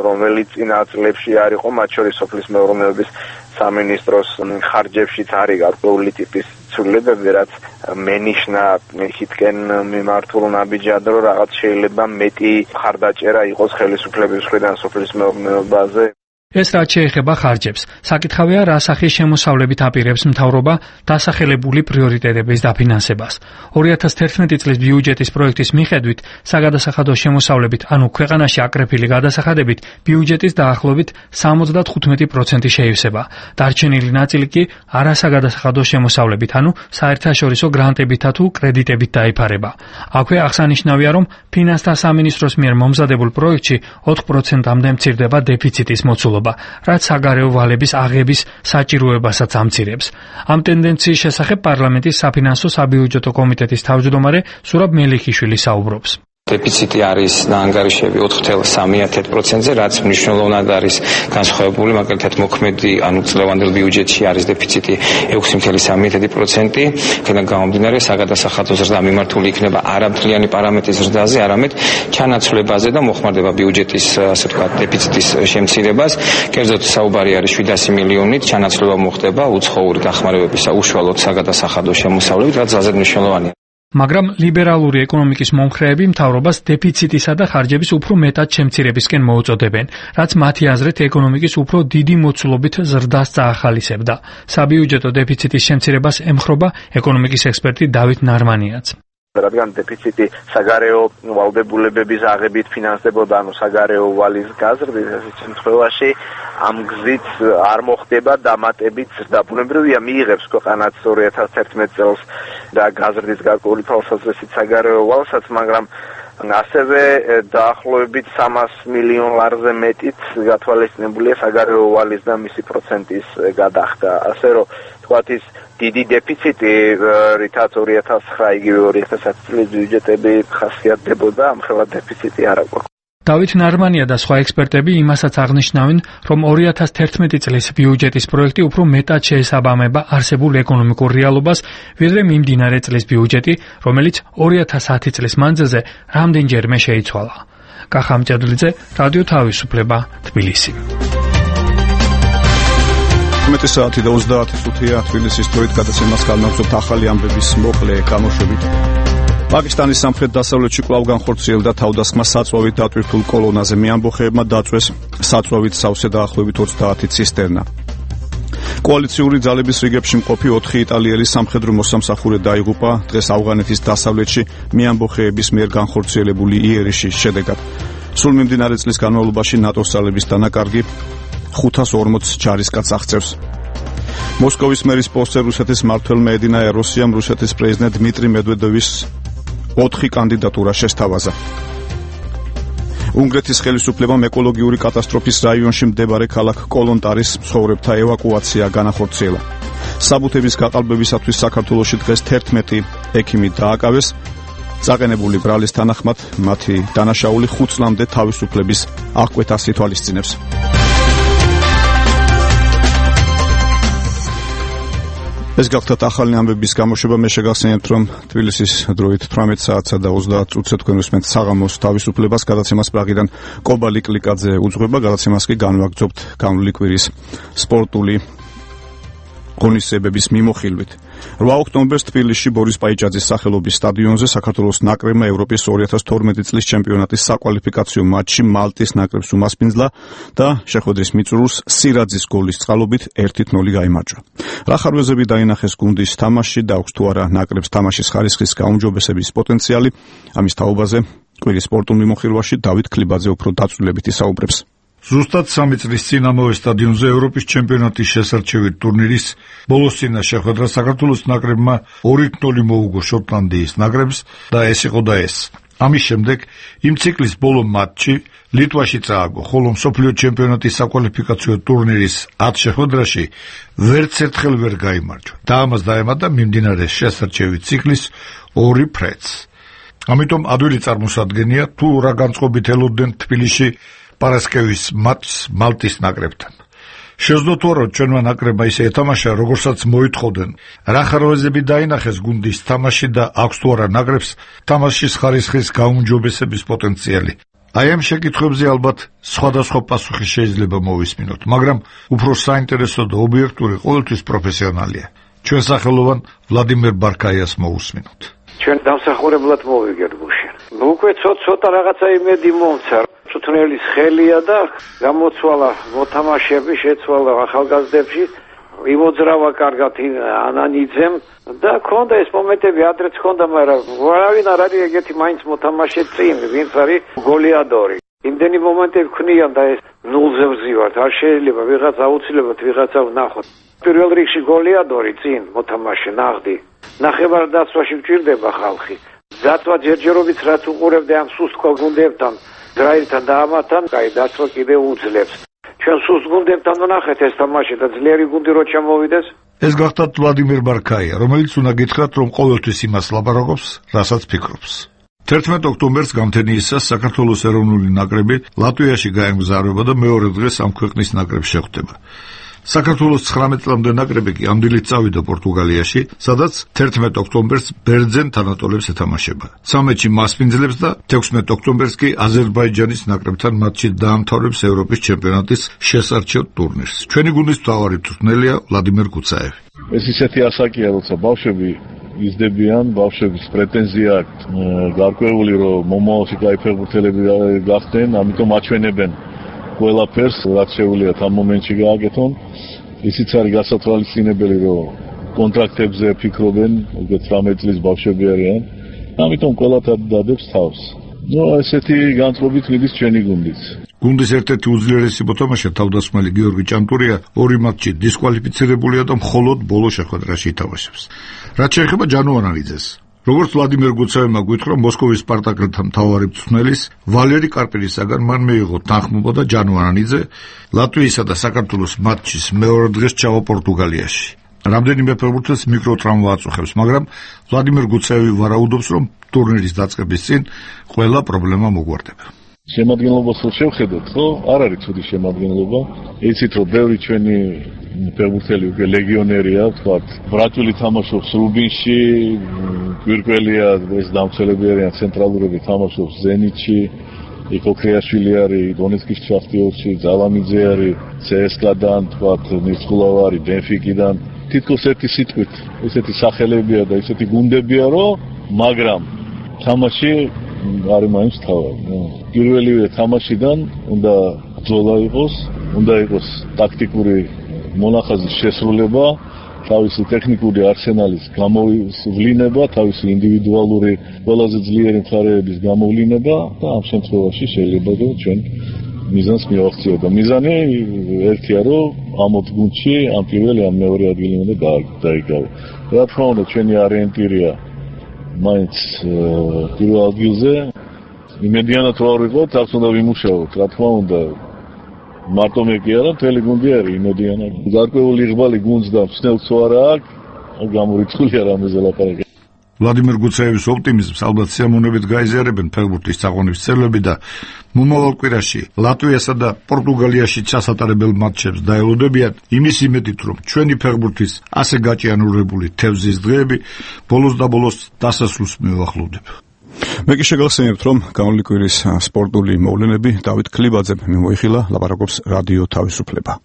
რომელიც წინა წლებში არ იყო, მათ შორის სოფლის მეურნეობის სამინისტროს ხარჯებშიც არის გარკვეული ტიპის ცვლილებები, რაც მენიშნა იქითკენ მიმართულ ნაბიჯად, რომ რაღაც შეიძლება მეტი ხარდაჭერა იყოს ხელისუფლების მხრიდან სოფლის მეურნეობაზე. ეს რაც შეეხება ხარჯებს, საკითხავია რა სახის შემოსავლებით აპირებს მთავრობა დასახელებული პრიორიტეტების დაფინანსებას. 2011 წლის ბიუჯეტის პროექტის მიხედვით, საგადასახადო შემოსავლებით, ანუ ქვეყანაში აკრეფილი გადასახადებით, ბიუჯეტის დაახლოებით 75% შეივსება. დარჩენილი ნაწილი კი არასაგადასახადო შემოსავლებით, ანუ საერთაშორისო გრანტებითა თუ კრედიტებით დაიფარება. აქვე აღსანიშნავია, რომ ფინანსთა სამინისტროს მიერ მომზადებულ პროექტში 4%-მდე მცირდება დეფიციტის მოცულობა, რაც საგარეო ვალების აღების საჭიროებასაც ამცირებს. ამ ტენდენციის შესახებ პარლამენტის საფინანსო საბიუჯეტო კომიტეტის თავმჯდომარე სურაბ მელიქიშვილი საუბრობს. დეფიციტი არის დაანგარიშები 4.3%-ზე, რაც მნიშვნელოვნად არის განსხვავებული, მაგალითად მოქმედი, ანუ წლევანდელ ბიუჯეტში არის დეფიციტი 6.3%. აქედან გამომდინარე, საგადასახადო ზრდა მიმართული იქნება არამთლიანი პარამეტრის ზრდაზე, არამედ ჩანაცვლებაზე და მოხმარდება ბიუჯეტის, ასე ვთქვათ, დეფიციტის შემცირებას. კერძოდ საუბარი არის 700 მილიონით, ჩანაცვლება მოხდება უცხოური დახმარებებისა უშუალოდ საგადასახადო შემოსავლებით, რაც ძალიან მნიშვნელოვანია. მაგრამ ლიბერალური ეკონომიკის მომხრეები მთავრობას დეფიციტისა და ხარჯების უფრო მეტად შემცირებისკენ მოუწოდებენ, რაც მათი აზრით ეკონომიკის უფრო დიდი მოცულობით ზრდას წაახალისებდა. საბიუჯეტო დეფიციტის შემცირებას ემხრობა ეკონომიკის ექსპერტი დავით ნარმანიაც. რადგან დეფიციტი საგარეო ვალდებულებების აღებით ფინანსდებოდა, ანუ საგარეო ვალის გაზრდით, ასეთ შემთხვევაში ამ გზით არ მოხდება დამატებით და ბუნებრივია მიიღებს ქვეყანაც 2011 წელს და გაზრდის გარკვეული თვალსაზრისით საგარეო ვალსაც, მაგრამ ასევე დაახლოებით 300 მილიონ ლარზე მეტით გათვალისწინებულია საგარეო ვალის და მისი პროცენტის გადახდა. ასე რომ თქვათ ის დიდი დეფიციტი, რითაც 2009 იგივე 2010 წლის ბიუჯეტები ხასიათდებოდა, ამხელა დეფიციტი არ აქვს. დავით ნარმანია და სხვა ექსპერტები იმასაც აღნიშნავენ, რომ 2011 წლის ბიუჯეტის პროექტი უფრო მეტად შეესაბამება არსებულ ეკონომიკურ რეალობას, ვიდრე მიმდინარე წლის ბიუჯეტი, რომელიც 2010 წლის მანძილზე რამდენჯერმე შეიცვალა. კახა მჭედლიძე, რადიო თავისუფლება, თბილისი. 11 საათი და 30 წუთია თბილისის დროით გადაცემას განმაგზავნებთ ახალი ამბების მოკლე გამოშვებით. პაკისტანის სამხრეთ-დასავლეთში კვლავ განხორციელდა თავდასხმა საწვავით დატვირთულ კოლონაზე. მეამბოხეებმა დაწვეს საწვავით სავსე დაახლოებით 30 ცისტერნა. კოალიციური ძალების რიგებში მყოფი 4 იტალიელი სამხედრო მოსამსახურე დაიღუპა დღეს ავღანეთის დასავლეთში მეამბოხეების მიერ განხორციელებული იერიშის შედეგად. სულ მიმდინარე წლის განმავლობაში ნატოს ძალების დანაკარგი 540 ჯარისკაცს აღწევს. მოსკოვის მერის პოსტზე რუსეთის მმართველმა ედინა ეროსიამ რუსეთის პრეზიდენტ დმიტრი მედვედევის 4 კანდიდატურა შესთავაზა. უნგრეთის ხელისუფლებამ ეკოლოგიური კატასტროფის რაიონში მდებარე ქალაქ კოლონტარის მცხოვრებთა ევაკუაცია განახორციელა. საბუთების გაყალბებისათვის საქართველოში დღეს 11 ექიმი დააკავეს. წაყენებული ბრალის თანახმად მათი დანაშაული 5 წლამდე თავისუფლების აღკვეთას ითვალისწინებს. ეს გახდათ ახალი ამბების გამოშვება. მე შეგახსენებთ, რომ თბილისის დროით 18 საათსა და 30 წუთზე თქვენ უსმენთ საღამოს თავისუფლებას. გადაცემას პრაღიდან კობალი კლიკაძე უძღვება. გადაცემას კი განვაგრძობთ განვლილი კვირის სპორტული ღონისძიებების მიმოხილვით. 8 ოქტომბერს თბილისში ბორის პაიჭაძის სახელობის სტადიონზე საქართველოს ნაკრებმა ევროპის 2012 წლის ჩემპიონატის საკვალიფიკაციო მატჩში მალტის ნაკრებს უმასპინძლა და შეხვედრის მიწურულს სირაძის გოლის წყალობით 1-0 გაიმარჯვა. რა ხარვეზები დაინახეს გუნდის თამაში და აქვს თუ არა ნაკრებს თამაშის ხარისხის გაუმჯობესების პოტენციალი, ამის თაობაზე კვირის სპორტულ მიმოხილვაში დავით ქლიბაძე უფრო დაწვრილებით ისაუბრებს. ზუსტად 3 წლის წინ ამავე სტადიონზე ევროპის ჩემპიონატის შესარჩევი ტურნირის ბოლოსწინა შეხვედრა საქართველოს ნაკრებმა 2-0 მოუგო შოტლანდიის ნაკრებს და ეს იყო და ეს. ამის შემდეგ იმ ციკლის ბოლო მატჩი ლიტვაში წააგო, ხოლო მსოფლიო ჩემპიონატის საკვალიფიკაციო ტურნირის 10 შეხვედრაში ვერც ერთხელ ვერ გაიმარჯვა და ამას დაემატა მიმდინარე შესარჩევი ციკლის 2 ფრედს. ამიტომ ადვილი წარმოსადგენია თუ რა განწყობით ელოდნენ თბილისში პარასკევის მატჩს მალტის ნაკრებთან. შეძლოთ თუ არა ჩვენმა ნაკრებმა ისე ეთამაშა, როგორცაც მოითხოვდნენ. რა ხარვეზები დაინახეს გუნდის თამაში და აქვს თუ არა ნაკრებს თამაშის ხარისხის გაუმჯობესების პოტენციალი. აი ამ შეკითხვებზე ალბათ სხვადასხვა პასუხი შეიძლება მოვისმინოთ, მაგრამ უფრო საინტერესო და ობიექტური ყოველთვის პროფესიონალია. ჩვენ სახელოვან ვლადიმერ ბარკაიას მოусმინოთ. ჩვენ დამსახურებლად მოვიგეთ გუშინ. უკვე ცოტა რაღაცა იმედი მომცა. წუთნელის ხელია და გამოცვალა მოთამაშეები, შეცვალა ახალგაზრდებში, იმოძრავა კარგად ანანიძემ და ქონდა ეს მომენტები, ადრეც ქონდა, მაგრამ ვარავინ არ არის ეგეთი მაინც მოთამაშე წინ, ვინც არის გოლიადორი. იმდენი მომენტები ქნიან და ეს ნულზე ვზივართ, არ შეიძლება ვიღაც აუცილებლად ვიღაცა ვნახოთ. პირველ რიგში გოლიადორი წინ მოთამაშე ნაღდი. ნახევარდაცვაში მჭირდება ხალხი. დაცვა ჯერჯერობით რაც უყურებდა ამ სუსტ გუნდებთან დრაირთან და ამათან, კაი დაცვა კიდევ უძლებს. ჩვენ სუსტ გუნდებთან ვნახეთ ეს თამაში და ძლიერი გუნდი რო ჩამოვიდეს. ეს გახდათ ვლადიმერ ბარკაია, რომელიც უნდა გითხრათ, რომ ყოველთვის იმას ლაპარაკობს, რასაც ფიქრობს. 11 ოქტომბერს გამთენიისას საქართველოს ეროვნული ნაკრები ლატვიაში გაემგზავრება და მეორე დღეს ამ ქვეყნის ნაკრებს შეხვდება. საქართველოს 19 წლამდე ნაკრები კი ამ დილით წავიდა პორტუგალიაში, სადაც 11 ოქტომბერს ბერძენ თანატოლებს ეთამაშება. 13-ში მასპინძლებს და 16 ოქტომბერს კი აზერბაიჯანის ნაკრებთან მატჩი დაამთავრებს ევროპის ჩემპიონატის შესარჩევ ტურნირს. ჩვენი გუნდის მთავარი მწვრთნელია ვლადიმერ კუცაევი. ეს ისეთი ასაკია, როცა ბავშვები იზრდებიან, ბავშვების პრეტენზია აქვს გარკვეული, რომ მომავალში კაი ფეხბურთელები გახდნენ, ამიტომ აჩვენებენ ყველაფერს, რაც შეუძლიათ ამ მომენტში გააკეთონ. ისიც არის გასათვალისწინებელი, რომ კონტრაქტებზე ფიქრობენ, უკვე 18 წლის ბავშვები არიან. ამიტომ ყველა დადებს თავს. ესეთი განწყობით მიდის ჩვენი გუნდიც. გუნდის ერთ-ერთი უძლიერესი მოთამაშე თავდასხმელი გიორგი ჭანტურია 2 მატჩში დისკვალიფიცირებულია და მხოლოდ ბოლო შეხვედრაში ითამაშებს. რაც შეეხება ჯანუარანიძეს, როგორც ვლადიმერ გუცევმა გვითხრა მოსკოვის სპარტაკელთა მთავარი მწვრთნელის ვალერი კარპინისაგან მან მიიღო თანხმობა და ჯანუარანიძე ლატვიისა და საქართველოს მატჩის მეორე დღეს ჩავა პორტუგალიაში. რამდენიმე ფეხბურთელს მიკროტრაუმა აწუხებს, მაგრამ ვლადიმერ გუცევი ვარაუდობს, რომ ტურნირის დაწყების წინ ყველა პრობლემა მოგვარდება. შემადგენლობას რო შევხედოთ, ხო? არ არის ცუდი შემადგენლობა. იცით, რომ ბევრი ჩვენი ფეხბურთელი უკვე ლეგიონერია, ვთქვათ, ბრატვილი თამაშობს რუბინში, გვირგველია ეს დამცველები არიან ცენტრალურები თამაშობს ზენიტში, იკო ქრიაშვილი არის დონეცკის შახტიორში, ძალამიძე არის CSKA-დან, ვთქვათ, ნიცხოვა არის ბენფიკიდან. თითქოს ერთი სიტყვით, ესეთი სახელებია და ესეთი გუნდებია, რომ მაგრამ თამაში არის მაინც თავი. პირველივე თამაშიდან უნდა ბრძოლა იყოს, უნდა იყოს ტაქტიკური მონახაზის შესრულება, თავისი ტექნიკური არსენალის გამოვლინება, თავისი ინდივიდუალური ყველაზე ძლიერი მხარეების გამოვლინება და ამ შემთხვევაში შეიძლება რომ ჩვენ მიზანს მივახციოთ და მიზანი ერთია რომ ამ გუნდში ამ პირველი ამ მეორე ადგილი უნდა დაიკავო. რა თქმა უნდა ჩვენი ორიენტირია მაინც პირველ ადგილზე იმედიანად ვარ ვიყოთ, აქ უნდა ვიმუშაოთ, რა თქმა უნდა მარტო მე კი არა, მთელი გუნდი არის იმედიანად. გარკვეული ღბალი გუნდს და მსნელს არა აქვს, გამორიცხული არ ამაზე ლაპარაკი. ვლადიმერ გუცეევის ოპტიმიზმს ალბათ სიამოვნებით გაიზიარებენ ფეხბურთის წაღონის წევრები და მომავალ კვირაში ლატვიასა და პორტუგალიაში ჩასატარებელ მატჩებს დაელოდებიან იმის იმედით, რომ ჩვენი ფეხბურთის ასე გაჭიანურებული თევზის დღეები ბოლოს და ბოლოს დასასრულს მივახლოვდება. მე კი შეგახსენებთ, რომ გამოვლილი კვირის სპორტული მოვლენები დავით ქლიბაძემ მიმოიხილა, ლაპარაკობს რადიო თავისუფლება.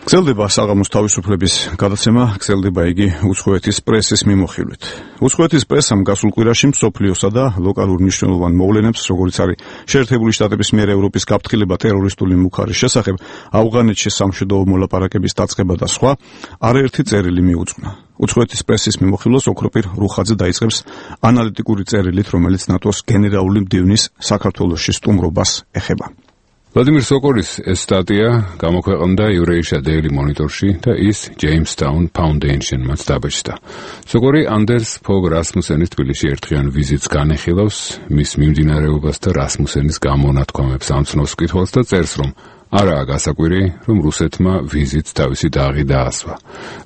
გრძელდება საღამოს თავისუფლების გადაცემა, გრძელდება იგი უცხოეთის პრესის მიმოხილვით. უცხოეთის პრესამ გასულ კვირაში მსოფლიოსა და ლოკალურ მნიშვნელოვან მოვლენებს, როგორიც არის შეერთებული შტატების მიერ ევროპის გაფრთხილება ტერორისტული მუხარის შესახებ, ავღანეთში სამშვიდობო მოლაპარაკების დაწყება და სხვა, არაერთი წერილი მიუძღვნა. უცხოეთის პრესის მიმოხილვას ოქროპირ რუხაძე დაიწყებს ანალიტიკური წერილით, რომელიც ნატოს გენერალური მდივნის საქართველოში სტუმრობას ეხება. ვლადიმერ სოკორის ეს სტატია გამოქვეყნდა Eurasia Daily Monitor-ში და ის Jamestown Foundation-მაც დაბეჭდა. სოკორი ანდერს ფოგ რასმუსენის თბილისში ერთხელ ვიზიტს განეხილავს, მის მიმდინარეობას და რასმუსენის გამონათქვამებს ამცნობს კითხვას და წერს, რომ არაა გასაკვირი, რომ რუსეთმა ვიზიტს თავისი დაღი დაასვა.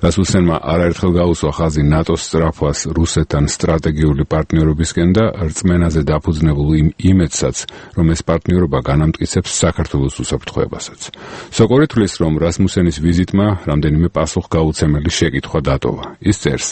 რასმუსენმა არაერთხელ გაუსვა ხაზი ნატოს სწრაფვას რუსეთთან სტრატეგიული პარტნიორობისკენ და რწმენაზე დაფუძნებულ იმ იმედსაც, რომ ეს პარტნიორობა განამტკიცებს საქართველოს უსაფრთხოებასაც. სოკორი თვლის, რომ რასმუსენის ვიზიტმა რამდენიმე პასუხგაუცემელი შეკითხვა დატოვა. ის წერს,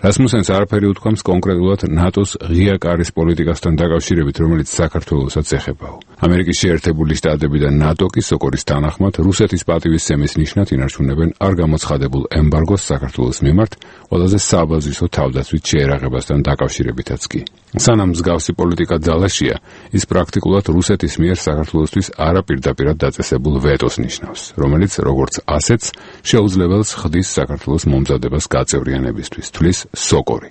რასმუსენს არაფერი უთქვამს კონკრეტულად ნატოს ღია კარის პოლიტიკასთან დაკავშირებით, რომელიც საქართველოსაც ეხებაო. ამერიკის შეერთებული შტატები და ნატო კი სოკორის თანახმად რუსეთის პატივისცემის ნიშნად ინარჩუნებენ არ გამოცხადებულ ემბარგოს საქართველოს მიმართ, ყველაზე საბაზისო თავდაცვით შეერაღებასთან დაკავშირებითაც კი. სანამ მსგავსი პოლიტიკა ძალაშია, ის პრაქტიკულად რუსეთის მიერ საქართველოსთვის არაპირდაპირად დაწესებულ ვეტოს ნიშნავს, რომელიც როგორც ასეთს შეუძლებელს ხდის საქართველოს მომზადებას გაწევრიანებისთვის, თვლის სოკორი.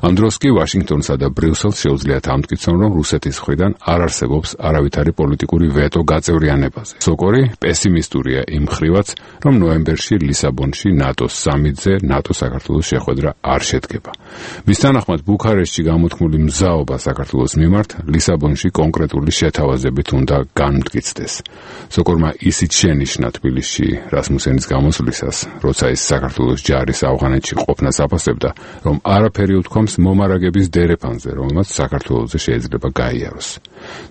ამ დროს კი ვაშინგტონსა და ბრიუსელს შეუძლიათ ამტკიცონ, რომ რუსეთის მხრიდან არ არსებობს არავითარი პოლიტიკური ვეტო გაწევრიანებაზე. სოკორი პესიმისტურია იმ მხრივაც, რომ ნოემბერში ლისაბონში ნატოს სამიტზე ნატო-საქართველოს შეხვედრა არ შედგება. მის თანახმად ბუქარესტში გამოთქმული მზაობა საქართველოს მიმართ ლისაბონში კონკრეტული შეთავაზებით უნდა განმტკიცდეს. სოკორმა ისიც შენიშნა თბილისში რასმუსენის გამოსვლისას, როცა ის საქართველოს ჯარის ავღანეთში ყოფნას აფასებდა, რომ არაფერი უთქვამს მომარაგების დერეფანზე, რომელმაც საქართველოზე შეიძლება გაიაროს.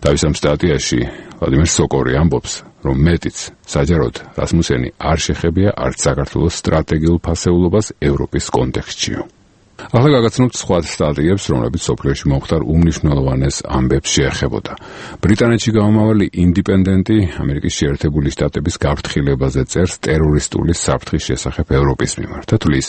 თავის ამ სტატიაში ვლადიმერ სოკორი ამბობს, რომ მეტიც საჯაროდ რასმუსენი არ შეხებია არც საქართველოს სტრატეგიულ ფასეულობას ევროპის კონტექსტშიო. ახლა გაგაცნობთ სხვა სტატიებს, რომლებიც სოფლიოში მომხდარ უმნიშვნელოვანეს ამბებს შეეხებოდა. ბრიტანეთში გამომავალი ინდიპენდენტი ამერიკის შეერთებული შტატების გაფრთხილებაზე წერს ტერორისტული საფრთხის შესახებ ევროპის მიმართ და თვლის,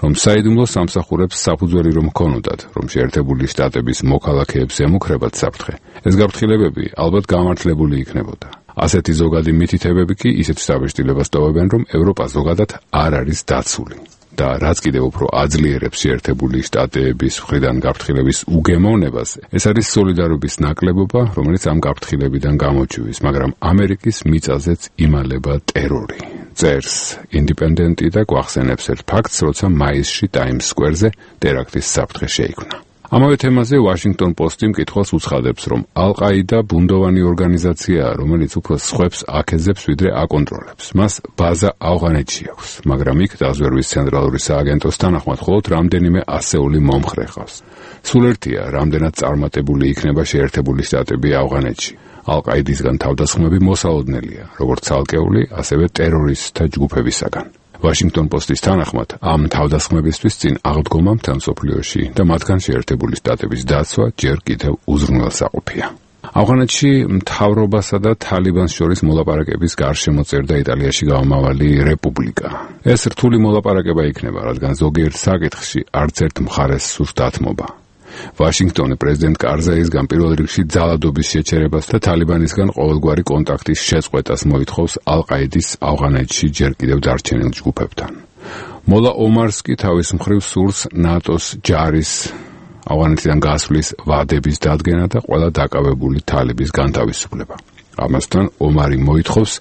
რომ საიდუმლო სამსახურებს საფუძველი რომ ჰქონოდათ, რომ შეერთებული შტატების მოქალაქეებს ემუქრებათ საფრთხე, ეს გაფრთხილებები ალბათ გამართლებული იქნებოდა. ასეთი ზოგადი მითითებები კი ისეთ შთაბეჭდილებას ტოვებენ, რომ ევროპა ზოგადად არ არის დაცული. და რაც კიდევ უფრო აძლიერებს შეერთებული შტატების მხრიდან გაფრთხილების უგემოვნებას, ეს არის სოლიდარობის ნაკლებობა, რომელიც ამ გაფრთხილებიდან გამოჩვივის, მაგრამ ამერიკის მიწაზეც იმალება ტერორი. წერს ინდიპენდენტი და გვახსენებს ერთ ფაქტს, როცა მაისში ტაიმს სკვერზე ტერაქტის საფრთხე შეიქმნა. ამავე თემაზე Washington Post-ი მკითხველს უცხადებს, რომ ალ-ყაიდა ბუნდოვანი ორგანიზაციაა, რომელიც უფრო სხვებს აკეზებს, ვიდრე აკონტროლებს. მას ბაზა ავღანეთში აქვს, მაგრამ იქ დაზვერვის ცენტრალური სააგენტოს თანახმად მხოლოდ რამდენიმე ასეული მომხრე ყავს. სულ ერთია, რამდენად წარმატებული იქნება შეერთებული შტატები ავღანეთში. ალ-ყაიდისგან თავდასხმები მოსალოდნელია, როგორც ცალკეული, ასევე ტერორისტთა ჯგუფებისაგან. Washington Post-ის თანახმად, ამ თავდასხმებისთვის წინ აღდგომა მთელ მსოფლიოში და მათგან შეერთებული შტატების დაცვა ჯერ კიდევ უზრუნველსაყოფია. ავღანეთში მთავრობასა და თალიბანს შორის მოლაპარაკების გარშემო წერდა იტალიაში გამომავალი რეპუბლიკა. ეს რთული მოლაპარაკება იქნება, რადგან ზოგიერთ საკითხში არც ერთ მხარეს სურს დათმობა. ვაშინგტონი პრეზიდენტ კარზაისგან პირველ რიგში ძალადობის შეჩერებას და თალიბანისგან ყოველგვარი კონტაქტის შეწყვეტას მოითხოვს ალ-ყაიდის ავღანეთში ჯერ კიდევ დარჩენილ ჯგუფებთან. მოლა ომარს კი თავის მხრივ სურს ნატოს ჯარის ავღანეთიდან გასვლის ვადების დადგენა და ყველა დაკავებული თალიბის განთავისუფლება. ამასთან ომარი მოითხოვს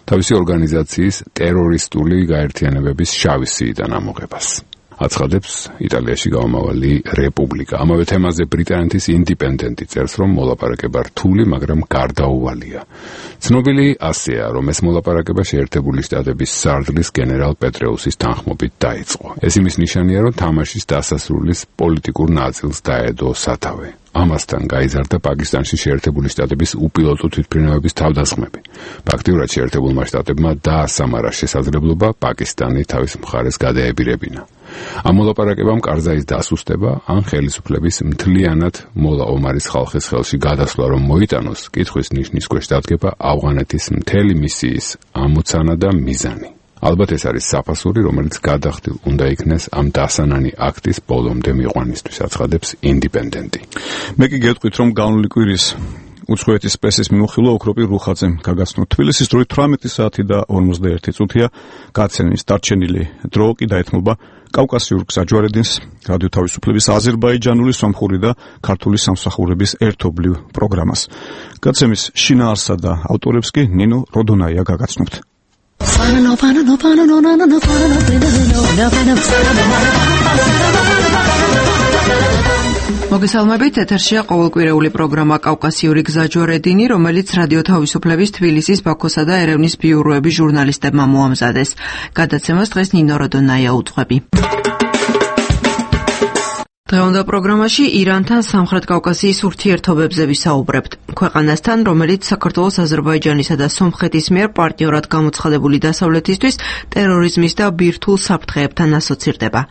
თავისი ორგანიზაციის ტერორისტული გაერთიანებების შავი სიიდან ამოღებას. აცხადებს იტალიაში გამომავალი რეპუბლიკა. ამავე თემაზე ბრიტანეთის ინდიპენდენტი წერს, რომ მოლაპარაკება რთული, მაგრამ გარდაუვალია. ცნობილი ასეა, რომ ეს მოლაპარაკება შეერთებული შტატების სარდლის გენერალ პეტრეუსის თანხმობით დაიწყო. ეს იმის ნიშანია, რომ თამაშის დასასრულის პოლიტიკურ ნაწილს დაედო სათავე. ამასთან გაიზარდა პაკისტანში შეერთებული შტატების უპილოტო თვითმფრინავების თავდასხმები. ფაქტიურად შეერთებულმა შტატებმა დაასამარა შესაძლებლობა პაკისტანი თავის მხარეს გადაებირებინა. ამ მოლაპარაკებამ კარზაის დასუსტება ან ხელისუფლების მთლიანად მოლა ომარის ხალხის ხელში გადასვლა რომ მოიტანოს, კითხვის ნიშნის ქვეშ დადგება ავღანეთის მთელი მისიის ამოცანა და მიზანი. ალბათ ეს არის საფასური, რომელიც გადახდილ უნდა იქნეს ამ დასანანი აქტის ბოლომდე მიყვანისთვის, აცხადებს ინდიპენდენტი. მე კი გეტყვით, რომ განვლილი კვირის უცხოეთის პრესის მიმოხილვა ოქროპირ რუხაძემ გაგაცნო. თბილისის დროით 18 საათი და 51 წუთია გაცემის დარჩენილი დრო კი დაეთმობა კავკასიურ გზაჯვარედინს, რადიო თავისუფლების აზერბაიჯანული სომხური და ქართული სამსახურების ერთობლივ პროგრამას. გაცემის შინაარსსა და ავტორებს კი ნინო როდონაია გაგაცნობთ. მოგესალმებით, ეთერშია ყოველკვირეული პროგრამა კავკასიური გზაჯვარედინი, რომელიც რადიო თავისუფლების თბილისის, ბაქოსა და ერევნის ბიუროების ჟურნალისტებმა მოამზადეს. გადაცემას დღეს ნინო როდონაია უძღვები. დღევანდელ პროგრამაში ირანთან სამხრეთ კავკასიის ურთიერთობებზე ვისაუბრებთ. ქვეყანასთან, რომელიც საქართველოს, აზერბაიჯანისა და სომხეთის მიერ პარტნიორად გამოცხადებული დასავლეთისთვის ტერორიზმის და ბირთვულ საფრთხეებთან ასოცირდება.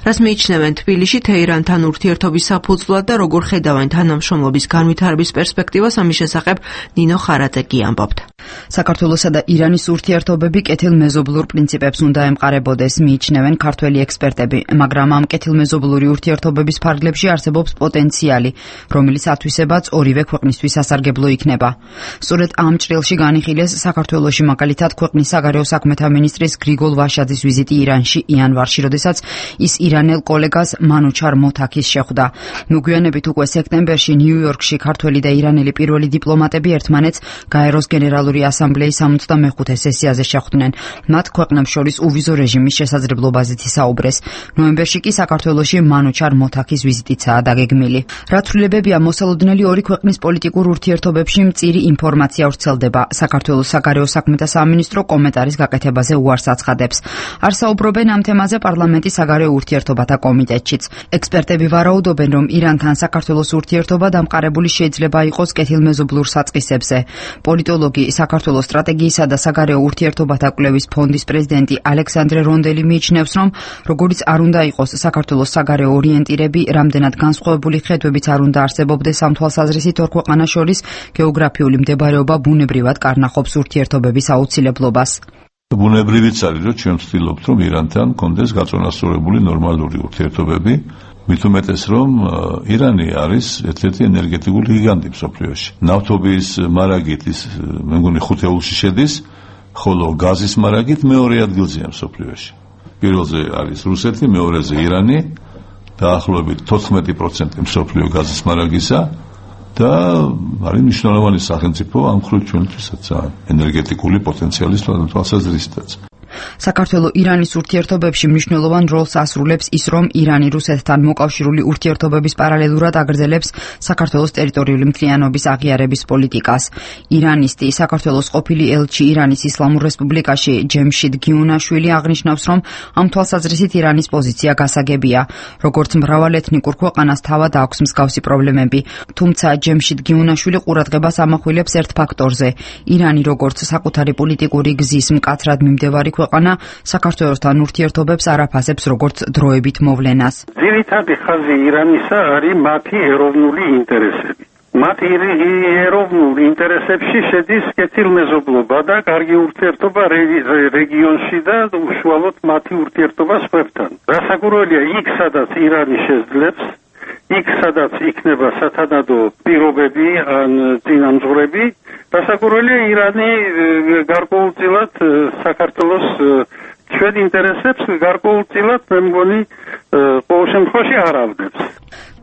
რას მიიჩნევენ თბილისში თეირანთან ურთიერთობის საფუძვლად და როგორ ხედავენ თანამშრომლობის განვითარების პერსპექტივას, ამის შესახებ ნინო ხარაძე ამბობთ. საქართველოსა და ირანის ურთიერთობები კეთილმეზობლურ პრინციპებს უნდა ემყარებოდეს, მიიჩნევენ ქართველი ექსპერტები, მაგრამ ამ კეთილმეზობლური ურთიერთობების ფარგლებში არსებობს პოტენციალი, რომლის ათვისებაც ორივე ქვეყნისთვის სასარგებლო იქნება. სწორედ ამ ჭრილში განიხილეს საქართველოში, მაგალითად, ქვეყნის საგარეო საქმეთა მინისტრის გრიგოლ ვაშაძის ვიზიტი ირანში იანვარში, როდესაც ის ირანელ კოლეგას მანუჩარ მოთაქის შეხვდა. მოგვიანებით უკვე სექტემბერში ნიუ-იორკში ქართველი და ირანელი პირველი დიპლომატები ერთმანეთს გაეროს გენერალური ასამბლეის 65 სესიაზე შეხვდნენ. მათ ქვეყნებს შორის უვიზო რეჟიმის შესაძლებლობაზეც ისაუბრეს. ნოემბერში კი საქართველოში მანუჩარ ოთახის ვიზიტიცაა დაგეგმილი. რა ცვლილებებია მოსალოდნელი ორი ქვეყნის პოლიტიკურ ურთიერთობებში მწირი ინფორმაცია ვრცელდება. საქართველოს საგარეო საქმეთა სამინისტრო კომენტარის გაკეთებაზე უარს აცხადებს. არ საუბრობენ ამ თემაზე პარლამენტის საგარეო ურთიერთობათა კომიტეტშიც. ექსპერტები ვარაუდობენ, რომ ირანთან საქართველოს ურთიერთობა დამყარებული შეიძლება იყოს კეთილმეზობლურ საწყისებზე. პოლიტოლოგი, საქართველოს სტრატეგიისა და საგარეო ურთიერთობათა კვლევის ფონდის პრეზიდენტი ალექსანდრე რონდელი მიიჩნევს, რომ როგორც არ უნდა იყოს საქართველოს საგარეო ორიენტირები, რამდენად განსხვავებული ხედვებიც არ უნდა არსებობდეს ამ თვალსაზრისით ორ ქვეყანას შორის გეოგრაფიული მდებარეობა ბუნებრივად კარნახობს ურთიერთობების აუცილებლობას. ბუნებრივიც არის, რომ ჩვენ ვცდილობთ, რომ ირანთან კონდეს გაწონასწორებული ნორმალური ურთიერთობები, მით უმეტეს, რომ ირანი არის ერთ-ერთი ენერგეტიკული გიგანტი მსოფლიოში. ნავთობის მარაგით ის მე მგონი 5-ში შედის, ხოლო გაზის მარაგით მეორე ადგილზეა მსოფლიოში. პირველზე არის რუსეთი, მეორეზე ირანი, დაახლოებით 14% მსოფლიო გაზის მარაგისა და არის მნიშვნელოვანი სახელმწიფო ამ მხრივ ჩვენთვისაც ენერგეტიკული პოტენციალის თვალსაზრისითაც. საქართველოს ირანის ურთიერთობებში მნიშვნელოვან როლს ასრულებს ის, რომ ირანი რუსეთთან მოკავშირული ურთიერთობების პარალელურად აგრძელებს საქართველოს ტერიტორიული მთლიანობის აღიარების პოლიტიკას. ირანისტი, საქართველოს ყოფილი ელჩი ირანის ისლამურ რესპუბლიკაში ჯემშიდ გიუნაშვილი აღნიშნავს, რომ ამ თვალსაზრისით ირანის პოზიცია გასაგებია. როგორც მრავალეთნიკურ ქვეყანას თავად აქვს მსგავსი პრობლემები, თუმცა ჯემშიდ გიუნაშვილი ყურადღებას ამახვილებს ერთ ფაქტორზე. ირანი როგორც საკუთარი პოლიტიკური გზის მკაცრად მიმდევარი ქვეყანა საქართველოსთან ურთიერთობებს არ აფასებს როგორც დროებით მოვლენას. ძირითადი ხაზი ირანისა არის მათი ეროვნული ინტერესები. მათი ეროვნულ ინტერესებში შედის კეთილმეზობლობა და კარგი ურთიერთობა რეგიონში და უშუალოდ მათი ურთიერთობა სხვებთან. რასაკვირველია, იქ სადაც ირანი შეძლებს, იქ სადაც იქნება სათანადო პირობები ან წინამძღვრები, რასაკვირველია, ირანი გარკვეულწილად საქართველოს ჩვენ ინტერესებს გარკვეულწილად მე მგონი ყოველ შემთხვევაში არ ავდებს.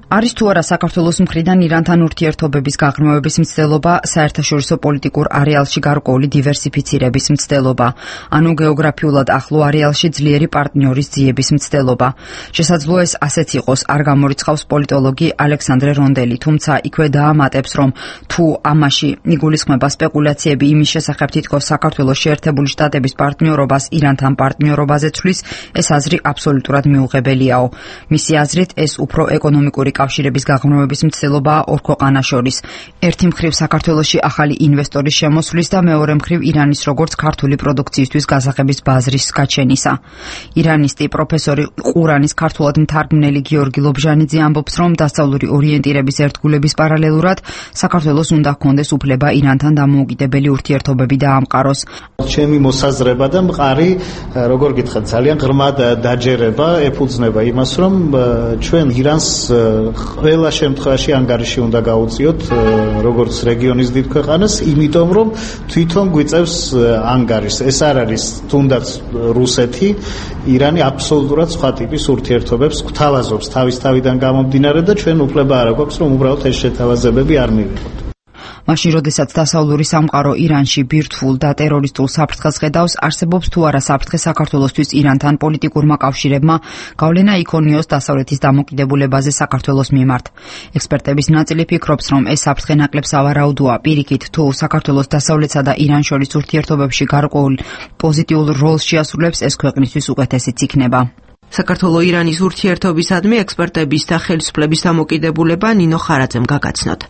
არის თუ არა საქართველოს მხრიდან ირანთან ურთიერთობების გაღრმავების მცდელობა, საერთაშორისო პოლიტიკურ არეალში გარკვეული დივერსიფიცირების მცდელობა, ანუ გეოგრაფიულად ახლო არეალში ძლიერი პარტნიორის ძიების მცდელობა. შესაძლოა ეს ასეც იყოს, არ გამორიცხავს პოლიტოლოგი ალექსანდრე რონდელი, თუმცა იქვე დაამატებს, რომ თუ ამაში იგულისხმება სპეკულაციები იმის შესახებ, თითქოს საქართველოს შეერთებული შტატების პარტნიორობას ირანთან პარტნიორობაზე ცვლის, ეს აზრი აბსოლუტურად მიუღებელიაო. მისი აზრით, ეს უფრო ეკონომიკური კავშირების გაღრმავების მცდელობაა ორ ქვეყანას შორის. ერთი მხრივ საქართველოში ახალი ინვესტორის შემოსვლის და მეორე მხრივ ირანის როგორც ქართული პროდუქციისთვის გასაღების ბაზრის გაჩენისა. ირანისტი პროფესორი ყურანის ქართულად მთარგმნელი გიორგი ლობჟანიძე ამბობს, რომ დასავლური ორიენტირების ერთგულების პარალელურად საქართველოს უნდა ჰქონდეს უფლება ირანთან დამოუკიდებელი ურთიერთობები დაამყაროს. ჩემი მოსაზრება და მყარი, როგორ გითხრათ, ძალიან ღრმად დაჯერება, ეფუძნება იმას, რომ ჩვენ ირანს ყველა შემთხვევაში ანგარიში უნდა გაუწიოთ როგორც რეგიონის დიდ ქვეყანას, იმიტომ რომ თვითონ გვიწევს ანგარიშს. ეს არ არის თუნდაც რუსეთი, ირანი აბსოლუტურად სხვა ტიპის ურთიერთობებს გვთავაზობს თავის თავიდან გამომდინარე და ჩვენ უფლება არ აქვს რომ უბრალოდ ეს შეთავაზებები არ მივიღოთ. მაშინ, როდესაც დასავლური სამყარო ირანში ბირთვულ და ტერორისტულ საფრთხეს ხედავს, არსებობს თუ არა საფრთხე საქართველოსთვის ირანთან პოლიტიკურმა კავშირებმა გავლენა იქონიოს დასავლეთის დამოკიდებულებაზე საქართველოს მიმართ. ექსპერტების ნაწილი ფიქრობს, რომ ეს საფრთხე ნაკლებ სავარაუდოა. პირიქით, თუ საქართველოს დასავლეთსა და ირან შორის ურთიერთობებში გარკვეულ პოზიტიურ როლს შეასრულებს, ეს ქვეყნისთვის უკეთესიც იქნება. საქართველოს-ირანის ურთიერთობისადმი ექსპერტების და ხელისუფლების დამოკიდებულება ნინო ხარაძემ გაგაცნოთ.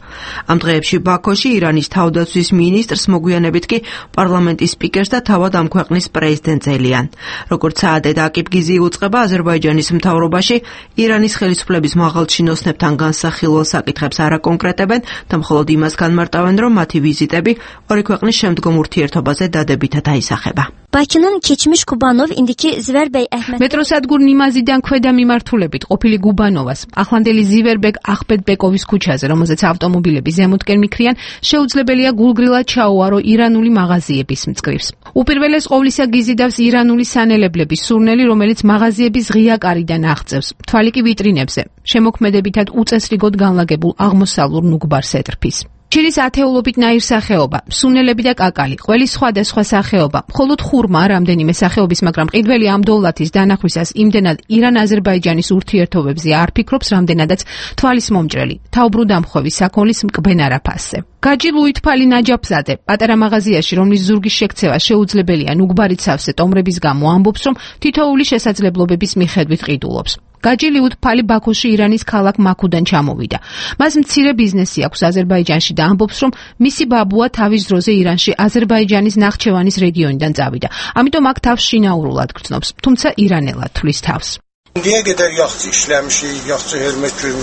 ამ დღეებში ბაქოში ირანის თავდაცვის მინისტრს მოგვიანებით კი პარლამენტის სპიკერს და თავად ამ ქვეყნის პრეზიდენტს ელიან. როგორც საადე აკიბგიზი უწყება აზერბაიჯანის მთავრობაში, ირანის ხელისუფლების მაღალჩინოსნებთან განსახილველ საკითხებს არ აკონკრეტებენ და მხოლოდ იმას განმარტავენ, რომ მათი ვიზიტები ორი ქვეყნის შემდგომ ურთიერთობაზე დადებითად აისახება. Bakının keçmiş Kubanov indiki Ziverbey Ahmet მეტროსადგურ ნიმაზიდან ქვედა მიმართულებით ყოფილი გუბანოვას, ახლანდელი ზივერბეკ ახბედბეკოვის ქუჩაზე, რომელზეც ავტომობილები ზემოთკენ მიქრიან, შეუძლებელია გულგრილად ჩაუარო ირანული მაღაზიების მწკრივს. უპირველეს ყოვლისა გიზიდავს ირანული სანელებლების სურნელი, რომელიც მაღაზიების ღია კარიდან აღწევს, თვალი კი ვიტრინებზე, შემოქმედებითად უწესრიგოდ განლაგებულ აღმოსავლურ ნუგბარს ეტრფის. ჩირის ათეულობით ნაირსახეობა, სუნელები და კაკალი, ყველის სხვადასხვა სახეობა, მხოლოდ ხურმა რამდენიმე სახეობის, მაგრამ ყიდველი ამ დოვლათის დანახვისას იმდენად ირან-აზერბაიჯანის ურთიერთობებზე არ ფიქრობს, რამდენადაც თვალის მომჭრელი, თავბრუდამხვევი საქონლის მკბენ არაფასზე. გაჯი ლუითფალი ნაჯაფზადე, პატარა მაღაზიაში, რომლის ზურგის შექცევა შეუძლებელია ნუგბარით სავსე ტომრების გამო, ამბობს, რომ თითოეული შესაძლებლობების მიხედვით ყიდულობს. გაჯი ლუითფალი ბაქოში ირანის ქალაქ მაქუდან ჩამოვიდა. მას მცირე ბიზნესი აქვს აზერბაიჯანში და ამბობს, რომ მისი ბაბუა თავის დროზე ირანში აზერბაიჯანის ნახჩევანის რეგიონიდან წავიდა. ამიტომ აქ თავს შინაურულად გრძნობს, თუმცა ირანელად თვლის თავს.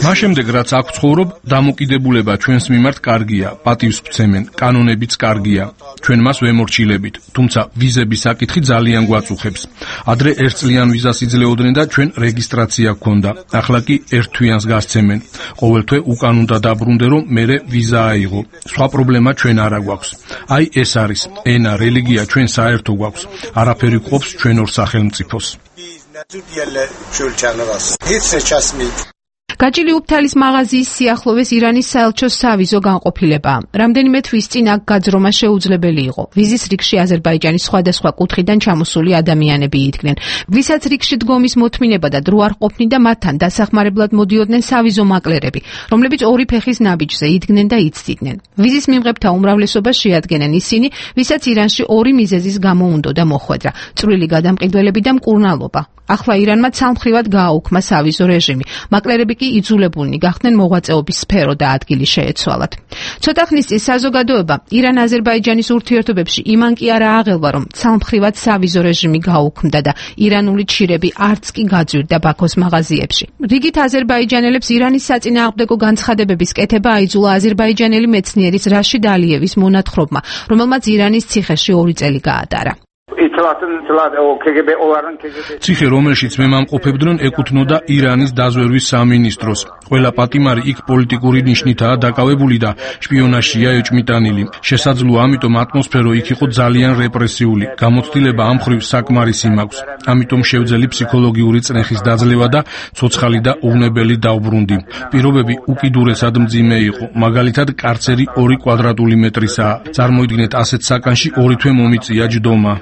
მას შემდეგ რაც აქ ცხოვრობ, დამოკიდებულება ჩვენს მიმართ კარგია, პატივს ვცემენ, კანონებიც კარგია. ჩვენ მას ვემორჩილებით, თუმცა ვიზების საკითხი ძალიან გვაწუხებს. ადრე 1 წლიან ვიზას იძლეოდნენ და ჩვენ რეგისტრაცია გქონდა. ახლა კი 1 თვიანს გასცემენ. ყოველ თვე უკან უნდა დაბრუნდე, რომ მერე ვიზა აიღო. სხვა პრობლემა ჩვენ არ გვაქვს. აი ეს არის, ენა, რელიგია ჩვენ საერთო გვაქვს. არაფერი ყოფს ჩვენ ორ სახელმწიფოს. გაჯილი უფთალის მაღაზიის სიახლოვეს ირანის საელჩოს სავიზო განყოფილებაა. რამდენიმე თვის წინ აქ გაძრომა შეუძლებელი იყო. ვიზის რიგში აზერბაიჯანის სხვადასხვა კუთხიდან ჩამოსული ადამიანები იდგნენ. ვისაც რიგში დგომის მოთმინება და დრო არ ყოფნიდა, მათთან დასახმარებლად მოდიოდნენ სავიზო მაკლერები, რომლებიც ორი ფეხის ნაბიჯზე იდგნენ და იცდიდნენ. ვიზის მიმღებთა უმრავლესობას შეადგენენ ისინი, ვისაც ირანში ორი მიზეზის გამო უნდოდა მოხვედრა: წვრილი გადამყიდველები და მკურნალობა. ახლა ირანმა ცალმხრივად გააუქმა სავიზო რეჟიმი. მაკლერები კი იძულებულნი გახდნენ მოღვაწეობის სფერო და ადგილი შეეცვალათ. ცოტა ხნის წინ საზოგადოება ირან-აზერბაიჯანის ურთიერთობებში იმან კი არა აღელვა, რომ ცალმხრივად სავიზო რეჟიმი გაუქმდა და ირანული ჩირები არც კი გაძვირდა ბაქოს მაღაზიებში. რიგით აზერბაიჯანელებს ირანის საწინააღმდეგო განცხადებების კეთება აიძულა აზერბაიჯანელი მეცნიერის რაშიდ ალიევის მონათხრობმა, რომელმაც ირანის ციხეში 2 წელი გაატარა. ციხე, რომელშიც მემამყოფებდნენ, ეკუთვნოდა ირანის დაზვერვის სამინისტროს. ყველა პატიმარი იქ პოლიტიკური ნიშნითაა დაკავებული და შპიონაჟია ეჭმიტანილი. შესაძლოა ამიტომ ატმოსფერო იქ იყო ძალიან რეპრესიული. გამოცდილება ამ მხრივ საკმარისი მაქვს. ამიტომ შევძელი ფსიქოლოგიური წნეხის დაძლევა და ცოცხალი და უვნებელი დაუბრუნდი. პირობები უკიდურესად მძიმე იყო. მაგალითად, კარცერი 2 კვადრატული მეტრისაა. წარმოიდგინეთ, ასეთ საკანში 2 თვე მომიწია ჯდომა.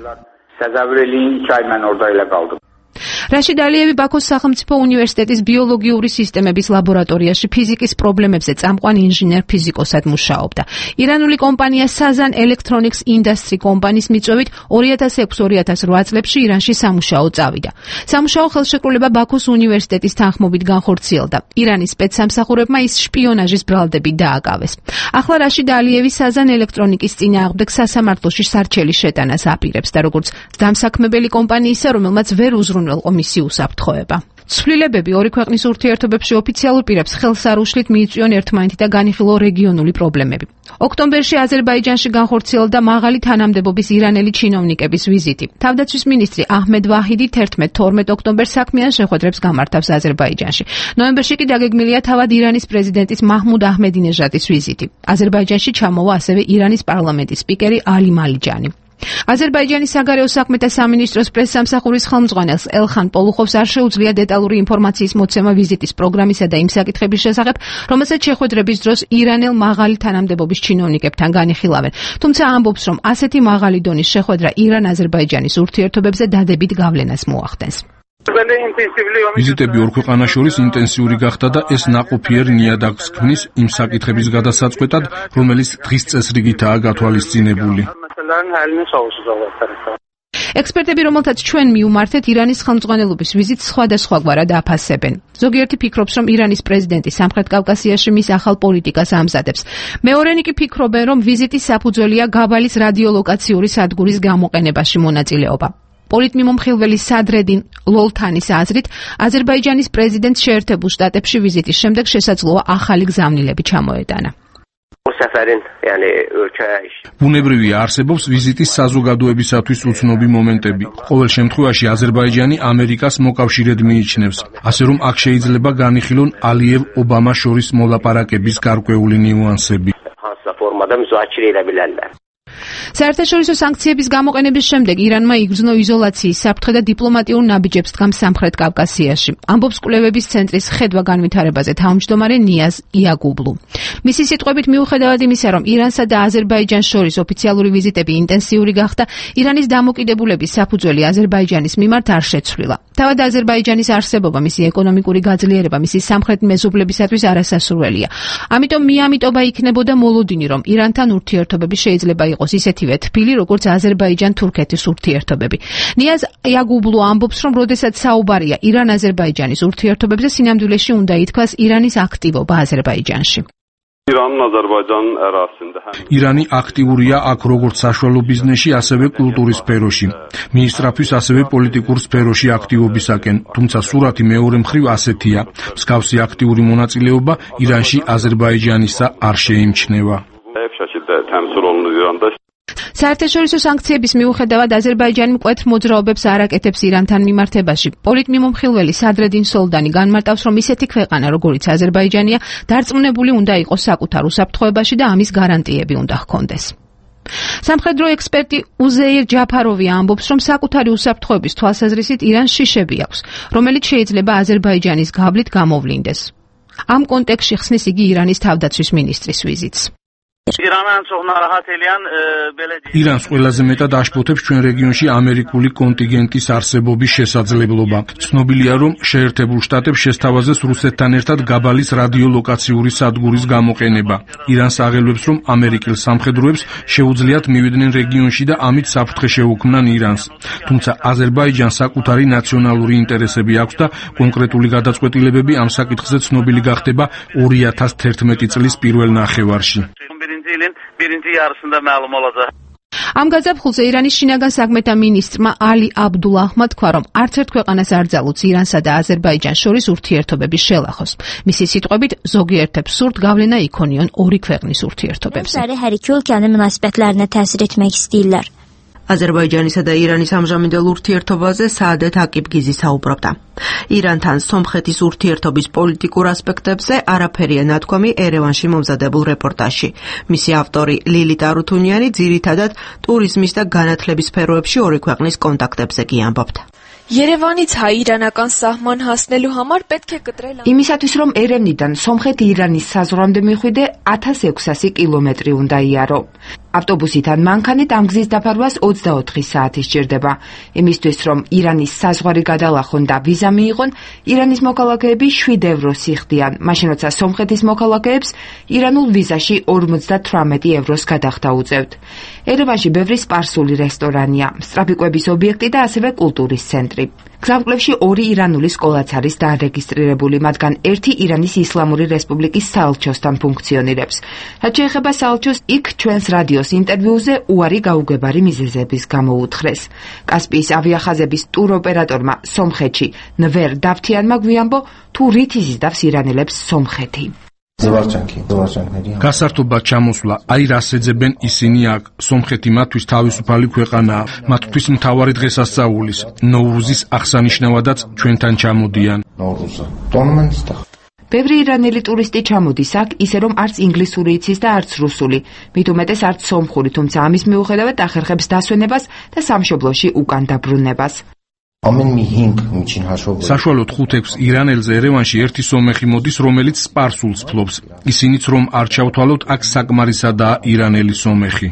რაშიდ ალიევი ბაქოს სახელმწიფო უნივერსიტეტის ბიოლოგიური სისტემების ლაბორატორიაში ფიზიკის პრობლემებზე წამყვან ინჟინერ-ფიზიკოსად მუშაობდა. ირანული კომპანია Sazan Electronics Industry კომპანიის მიწვევით 2006-2008 წლებში ირანში სამუშაო წავიდა. სამუშაო ხელშეკრულება ბაქოს უნივერსიტეტის თანხმობით განხორციელდა. ირანის სპეცსამსახურებმა ის შპიონაჟის ბრალდები დააკავეს. ახლა რაშიდ ალიევი Sazan Electronics წინააღმდეგ სასამართლოში სარჩელი შეტანას აპირებს და როგორც დამსაქმებელი კომპანიისა, რომელმაც ვერ უზრუნველყო მისი უსაფრთხოება. ცვლილებები ორი ქვეყნის ურთიერთობებში ოფიციალურ პირებს ხელს არ უშლით მიიწვიონ ერთმანეთი და განიხილო რეგიონული პრობლემები. ოქტომბერში აზერბაიჯანში განხორციელდა მაღალი თანამდებობის ირანელი ჩინოვნიკების ვიზიტი. თავდაცვის მინისტრი აჰმედ ვაჰიდი 11-12 ოქტომბერს საქმიან შეხვედრებს გამართავს აზერბაიჯანში. ნოემბერში კი დაგეგმილია თავად ირანის პრეზიდენტის მაჰმუდ აჰმედინეჟადის ვიზიტი. აზერბაიჯანში ჩამოვა ასევე ირანის პარლამენტის სპიკერი ალი მალიჯანი. აზერბაიჯანის საგარეო საქმეთა სამინისტროს პრესსამსახურის ხელმძღვანელს ელხან პოლუხოვს არ შეუძლია დეტალური ინფორმაციის მოცემა ვიზიტის პროგრამისა და იმ საკითხების შესახებ, რომელსაც შეხვედრების დროს ირანელ მაღალი თანამდებობის ჩინოვნიკებთან განიხილავენ. თუმცა ამბობს, რომ ასეთი მაღალი დონის შეხვედრა ირან-აზერბაიჯანის ურთიერთობებზე დადებით გავლენას მოახდენს. ვიზიტები ორ ქვეყანას შორის ინტენსიური გახდა და ეს ნაყოფიერ ნიადაგს ქმნის იმ საკითხების გადასაწყვეტად, რომელიც დღის წესრიგითაა გათვალისწინებული. ექსპერტები, რომელთაც ჩვენ მიუმართეთ, ირანის ხელმძღვანელობის ვიზიტს სხვადასხვაგვარად აფასებენ. ზოგიერთი ფიქრობს, რომ ირანის პრეზიდენტი სამხრეთ კავკასიაში მის ახალ პოლიტიკას ამზადებს. მეორენი კი ფიქრობენ, რომ ვიზიტის საფუძველია გაბალის რადიოლოკაციური სადგურის გამოყენებაში მონაწილეობა. პოლიტმიმომხილველი სადრედინ ლოლთანის აზრით, აზერბაიჯანის პრეზიდენტს შეერთებულ შტატებში ვიზიტის შემდეგ შესაძლოა ახალი გზავნილები ჩამოეტანა. ბუნებრივია, არსებობს ვიზიტის საზოგადოებისათვის უცნობი მომენტები. ყოველ შემთხვევაში აზერბაიჯანი ამერიკას მოკავშირედ მიიჩნევს, ასე რომ აქ შეიძლება განიხილონ ალიევ-ობამა შორის მოლაპარაკების გარკვეული ნიუანსები. საერთაშორისო სანქციების გამოყენების შემდეგ ირანმა იგრძნო იზოლაციის საფრთხე და დიპლომატიურ ნაბიჯებს დგამს სამხრეთ კავკასიაში. ამბობს კვლევების ცენტრის ხედვა განვითარებაზე თავმჯდომარე ნიაზ იაგუბლუ. მისი სიტყვებით მიუხედავად იმისა, რომ ირანსა და აზერბაიჯანს შორის ოფიციალური ვიზიტები ინტენსიური გახდა, ირანის დამოკიდებულების საფუძველი აზერბაიჯანის მიმართ არ შეცვლილა. თავად აზერბაიჯანის არსებობა, მისი ეკონომიკური გაძლიერება, მისი სამხრეთ მეზობლებისათვის არასასურველია. ამიტომ მიამიტობა იქნებოდა მოლოდინი, რომ ირანთან ურთიერთობები შეიძლება იყოს ისეთივე თბილი, როგორც აზერბაიჯან-თურქეთის ურთიერთობები. ნიაზ იაგუბლუ ამბობს, რომ როდესაც საუბარია ირან-აზერბაიჯანის ურთიერთობებზე, სინამდვილეში უნდა ითქვას ირანის აქტივობა აზერბაიჯანში. ირანი აქტიურია აქ როგორც საშუალო ბიზნესში, ასევე კულტურის სფეროში. მიისწრაფვის ასევე პოლიტიკურ სფეროში აქტივობისაკენ, თუმცა სურათი მეორე მხრივ ასეთია. მსგავსი აქტიური მონაწილეობა ირანში აზერბაიჯანისა არ შეიმჩნევა. საერთაშორისო სანქციების მიუხედავად აზერბაიჯანი მკვეთრ მოძრაობებს არ აკეთებს ირანთან მიმართებაში. პოლიტმიმომხილველი სადრედინ სოლდანი განმარტავს, რომ ისეთი ქვეყანა, როგორიც აზერბაიჯანია, დარწმუნებული უნდა იყოს საკუთარ უსაფრთხოებაში და ამის გარანტიები უნდა ჰქონდეს. სამხედრო ექსპერტი უზეირ ჯაფაროვი ამბობს, რომ საკუთარი უსაფრთხოების თვალსაზრისით ირანს შიშები აქვს, რომელიც შეიძლება აზერბაიჯანის გავლით გამოვლინდეს. ამ კონტექსტში ხსნის იგი ირანის თავდაცვის მინისტრის ვიზიტს. ირანს ყველაზე მეტად აშფოთებს ჩვენ რეგიონში ამერიკული კონტინგენტის არსებობის შესაძლებლობა. ცნობილია, რომ შეერთებულ შტატებს შესთავაზეს რუსეთთან ერთად გაბალის რადიოლოკაციური სადგურის გამოყენება. ირანს აღელვებს, რომ ამერიკელ სამხედროებს შეუძლიათ მივიდნენ რეგიონში და ამით საფრთხე შეუქმნან ირანს. თუმცა აზერბაიჯანს საკუთარი ნაციონალური ინტერესები აქვს და კონკრეტული გადაწყვეტილებები ამ საკითხზე ცნობილი გახდება 2011 წლის პირველ ნახევარში. ამ გაზაფხულზე ირანის შინაგან საქმეთა მინისტრმა ალი აბდულაჰმა თქვა, რომ არც ერთ ქვეყანას არ ძალუძს ირანსა და აზერბაიჯანს შორის ურთიერთობების შელახოს. მისი სიტყვებით, ზოგიერთებს სურთ გავლენა იქონიონ ორი ქვეყნის ურთიერთობებზე. Hər iki ölkənin münasibətlərinə təsir etmək istəyirlər. აზერბაიჯანისა და ირანის ამჟამინდელ ურთიერთობაზე საადət აკიბგიზი საუბრობდა. ირანთან სომხეთის ურთიერთობის პოლიტიკურ ასპექტებზე არაფერია ნათქვამი ერევანში მომზადებულ რეპორტაჟში. მისი ავტორი ლილიტ არუთუნიანი ძირითადად ტურიზმის და განათლების სფეროებში ორი ქვეყნის კონტაქტებზე კი ამბობდა. Երևանից հայ-իրանական սահման հասնելու համար պետք է կտրել Იმისათვის რომ ერევნიდან სომხეთ-ირანის საზღვრამდე მიხვიდე 1600 კილომეტრი უნდა იარო. ავტობუსიდან მანქანით ამ გზის დაფარვას 24 საათი სჭირდება. იმისთვის რომ ირანის საზღვარი გადალახონ და ვიზა მიიღონ, ირანის მოქალაქეები 7 ევროს იხდიან, მაშინ როცა სომხეთის მოქალაქეებს ირანულ ვიზაში 58 ევროს გადახდა უწევთ. ერევანში ბევრი სპარსული რესტორანია, სწრაფი კვების ობიექტი და ასევე კულტურის ცენტრი. გზამკვლევში 2 ირანული სკოლაც არის დარეგისტრირებული, მათგან ერთი ირანის ისლამური რესპუბლიკის საელჩოსთან ფუნქციონირებს. რაც შეეხება საელჩოს, იქ ჩვენს რადიოს ინტერვიუზე უარი გაუგებარი მიზეზების გამო უთხრეს. კასპიის ავიახაზების ტუროპერატორმა სომხეთში ნვერ დავთიანმა გვიამბო, თუ რით იზიდავს ირანელებს სომხეთი. გასართობად ჩამოსვლა, აი რას ეძებენ ისინი აქ. სომხეთი მათთვის თავისუფალი ქვეყანაა, მათთვის მთავარი დღესასწაულის, ნოვრუზის აღსანიშნავადაც ჩვენთან ჩამოდიან. ბევრი ირანელი ტურისტი ჩამოდის აქ, ისე რომ არც ინგლისური იცის და არც რუსული, მით უმეტეს არც სომხური, თუმცა ამის მიუხედავად ახერხებს დასვენებას და სამშობლოში უკან დაბრუნებას. საშუალოდ 5-6 ირანელზე ერევანში ერთი სომეხი მოდის, რომელიც სპარსულს ფლობს. ისინიც რომ არ ჩავთვალოთ, აქ საკმარისადაა ირანელი სომეხი.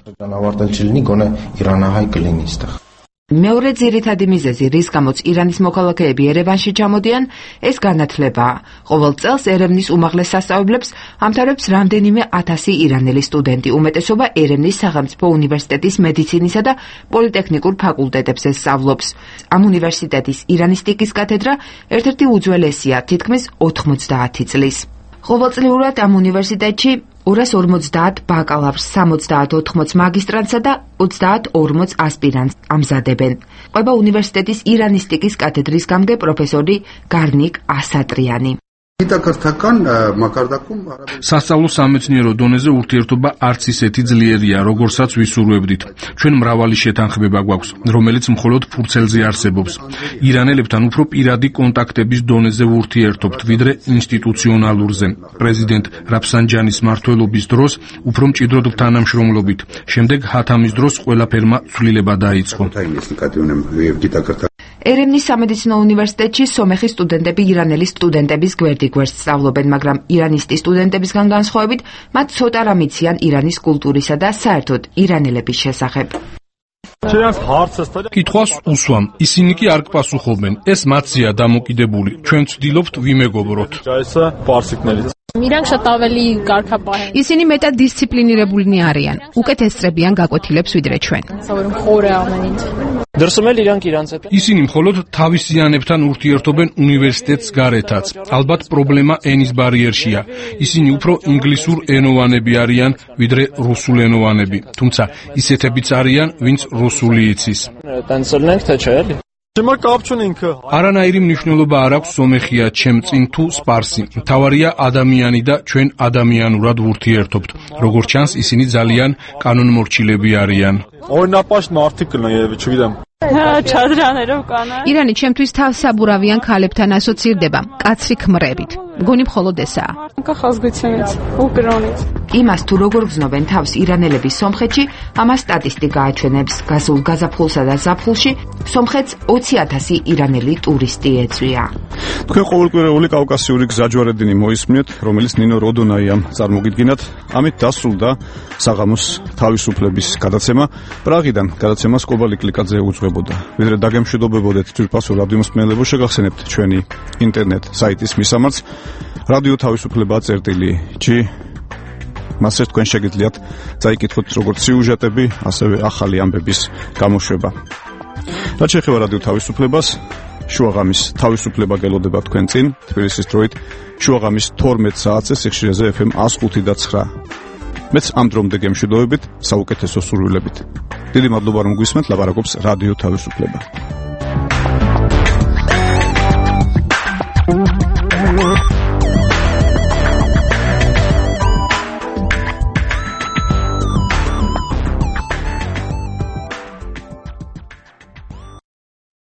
მეორე ძირითადი მიზეზი, რის გამოც ირანის მოქალაქეები ერევანში ჩამოდიან, ეს განათლებაა. ყოველ წელს ერევნის უმაღლეს სასწავლებლებს ამთავრებს რამდენიმე 1000 ირანელი სტუდენტი, უმეტესობა ერევნის სახელმწიფო უნივერსიტეტის მედიცინისა და პოლიტექნიკურ ფაკულტეტებზე სწავლობს. ამ უნივერსიტეტის ირანისტიკის კათედრა ერთ-ერთი უძველესია, თითქმის 90 წლის. ყოველწლიურად ამ უნივერსიტეტში 250 ბაკალავრს, 70-80 მაგისტრანტსა და 30-40 ასპირანტს ამზადებენ. ყვება უნივერსიტეტის ირანისტიკის კათედრის გამგე პროფესორი გარნიკ ასატრიანი. სასწავლო სამეცნიერო დონეზე ურთიერთობა არც ისეთი ძლიერია, როგორცაც ვისურვებდით. ჩვენ მრავალი შეთანხმება გვაქვს, რომელიც მხოლოდ ფურცელზე არსებობს. ირანელებთან უფრო პირადი კონტაქტების დონეზე ვურთიერთობთ, ვიდრე ინსტიტუციონალურზე. პრეზიდენტ რაფსანჯანის მმართველობის დროს უფრო მჭიდროდ თანამშრომლობით. შემდეგ ჰათამის დროს ყველაფერმა ცვლილება დაიწყო. ერევნის სამედიცინო უნივერსიტეტში სომეხის სტუდენტები ირანელი სტუდენტების გვერდიგვერდს სწავლობენ, მაგრამ ირანისტი სტუდენტებისგან განსხვავებით, მათ ცოტა რამ იციან ირანის კულტურისა და საერთოდ ირანელების შესახებ. კითხვას უსვამ, ისინი კი არ გპასუხობენ. ეს მათზეა დამოკიდებული. ჩვენ ვცდილობთ ვიმეგობროთ. ისინი მეტად დისციპლინირებულნი არიან. უკეთ ესწრებიან გაკვეთილებს ვიდრე ჩვენ. ისინი მხოლოდ თავისიანებთან ურთიერთობენ უნივერსიტეტს გარეთაც. ალბათ პრობლემა ენის ბარიერშია. ისინი უფრო ინგლისურ ენოვანები არიან, ვიდრე რუსულ ენოვანები. თუმცა ისეთებიც არიან, ვინც რუსული იცის. არანაირი მნიშვნელობა არ აქვს სომეხია ჩემ წინ თუ სპარსი. მთავარია ადამიანი და ჩვენ ადამიანურად ვურთიერთობთ. როგორც ჩანს, ისინი ძალიან კანონმორჩილები არიან. ირანი ჩემთვის თავსაბურავიან ქალებთან ასოცირდება, კაცრი ქმრებით. მგონი მხოლოდ ესაა. იმას თუ როგორ გზნობენ თავს ირანელები სომხეთში, ამას სტატისტიკა აჩვენებს. გასულ გაზაფხულსა და ზაფხულში სომხეთს 20,000 ირანელი ტურისტი ეწვია. თქვენ ყოველკვირეული კავკასიური გზაჯვარედინი მოისმინეთ, რომელიც ნინო როდონაიამ წარმოგიდგინათ. ამით დასრულდა საღამოს თავისუფლების გადაცემა. პრაღიდან გადაცემას კობალი კლიკაძე უძღვებოდა. ვიდრე დაგემშვიდობებოდეთ ძვირფასო რადიო მსმენელებო, შეგახსენებთ ჩვენი ინტერნეტ საიტის მისამართს radio.tavisufleba.gi. მასე თქვენ შეგიძლიათ წაიკითხოთ როგორც სიუჟეტები, ასევე ახალი ამბების გამოშვება. რაც შეეხება რადიო თავისუფლებას, შუაღამის თავისუფლება გელოდება თქვენ წინ, თბილისის დროით შუაღამის 12 საათზე სიხშირეზე FM 105.9. მეც ამ დრომდე გემშვიდობებით, საუკეთესო სურვილებით. დიდი მადლობა რომ გვისმენთ, ლაპარაკობს რადიო თავისუფლება.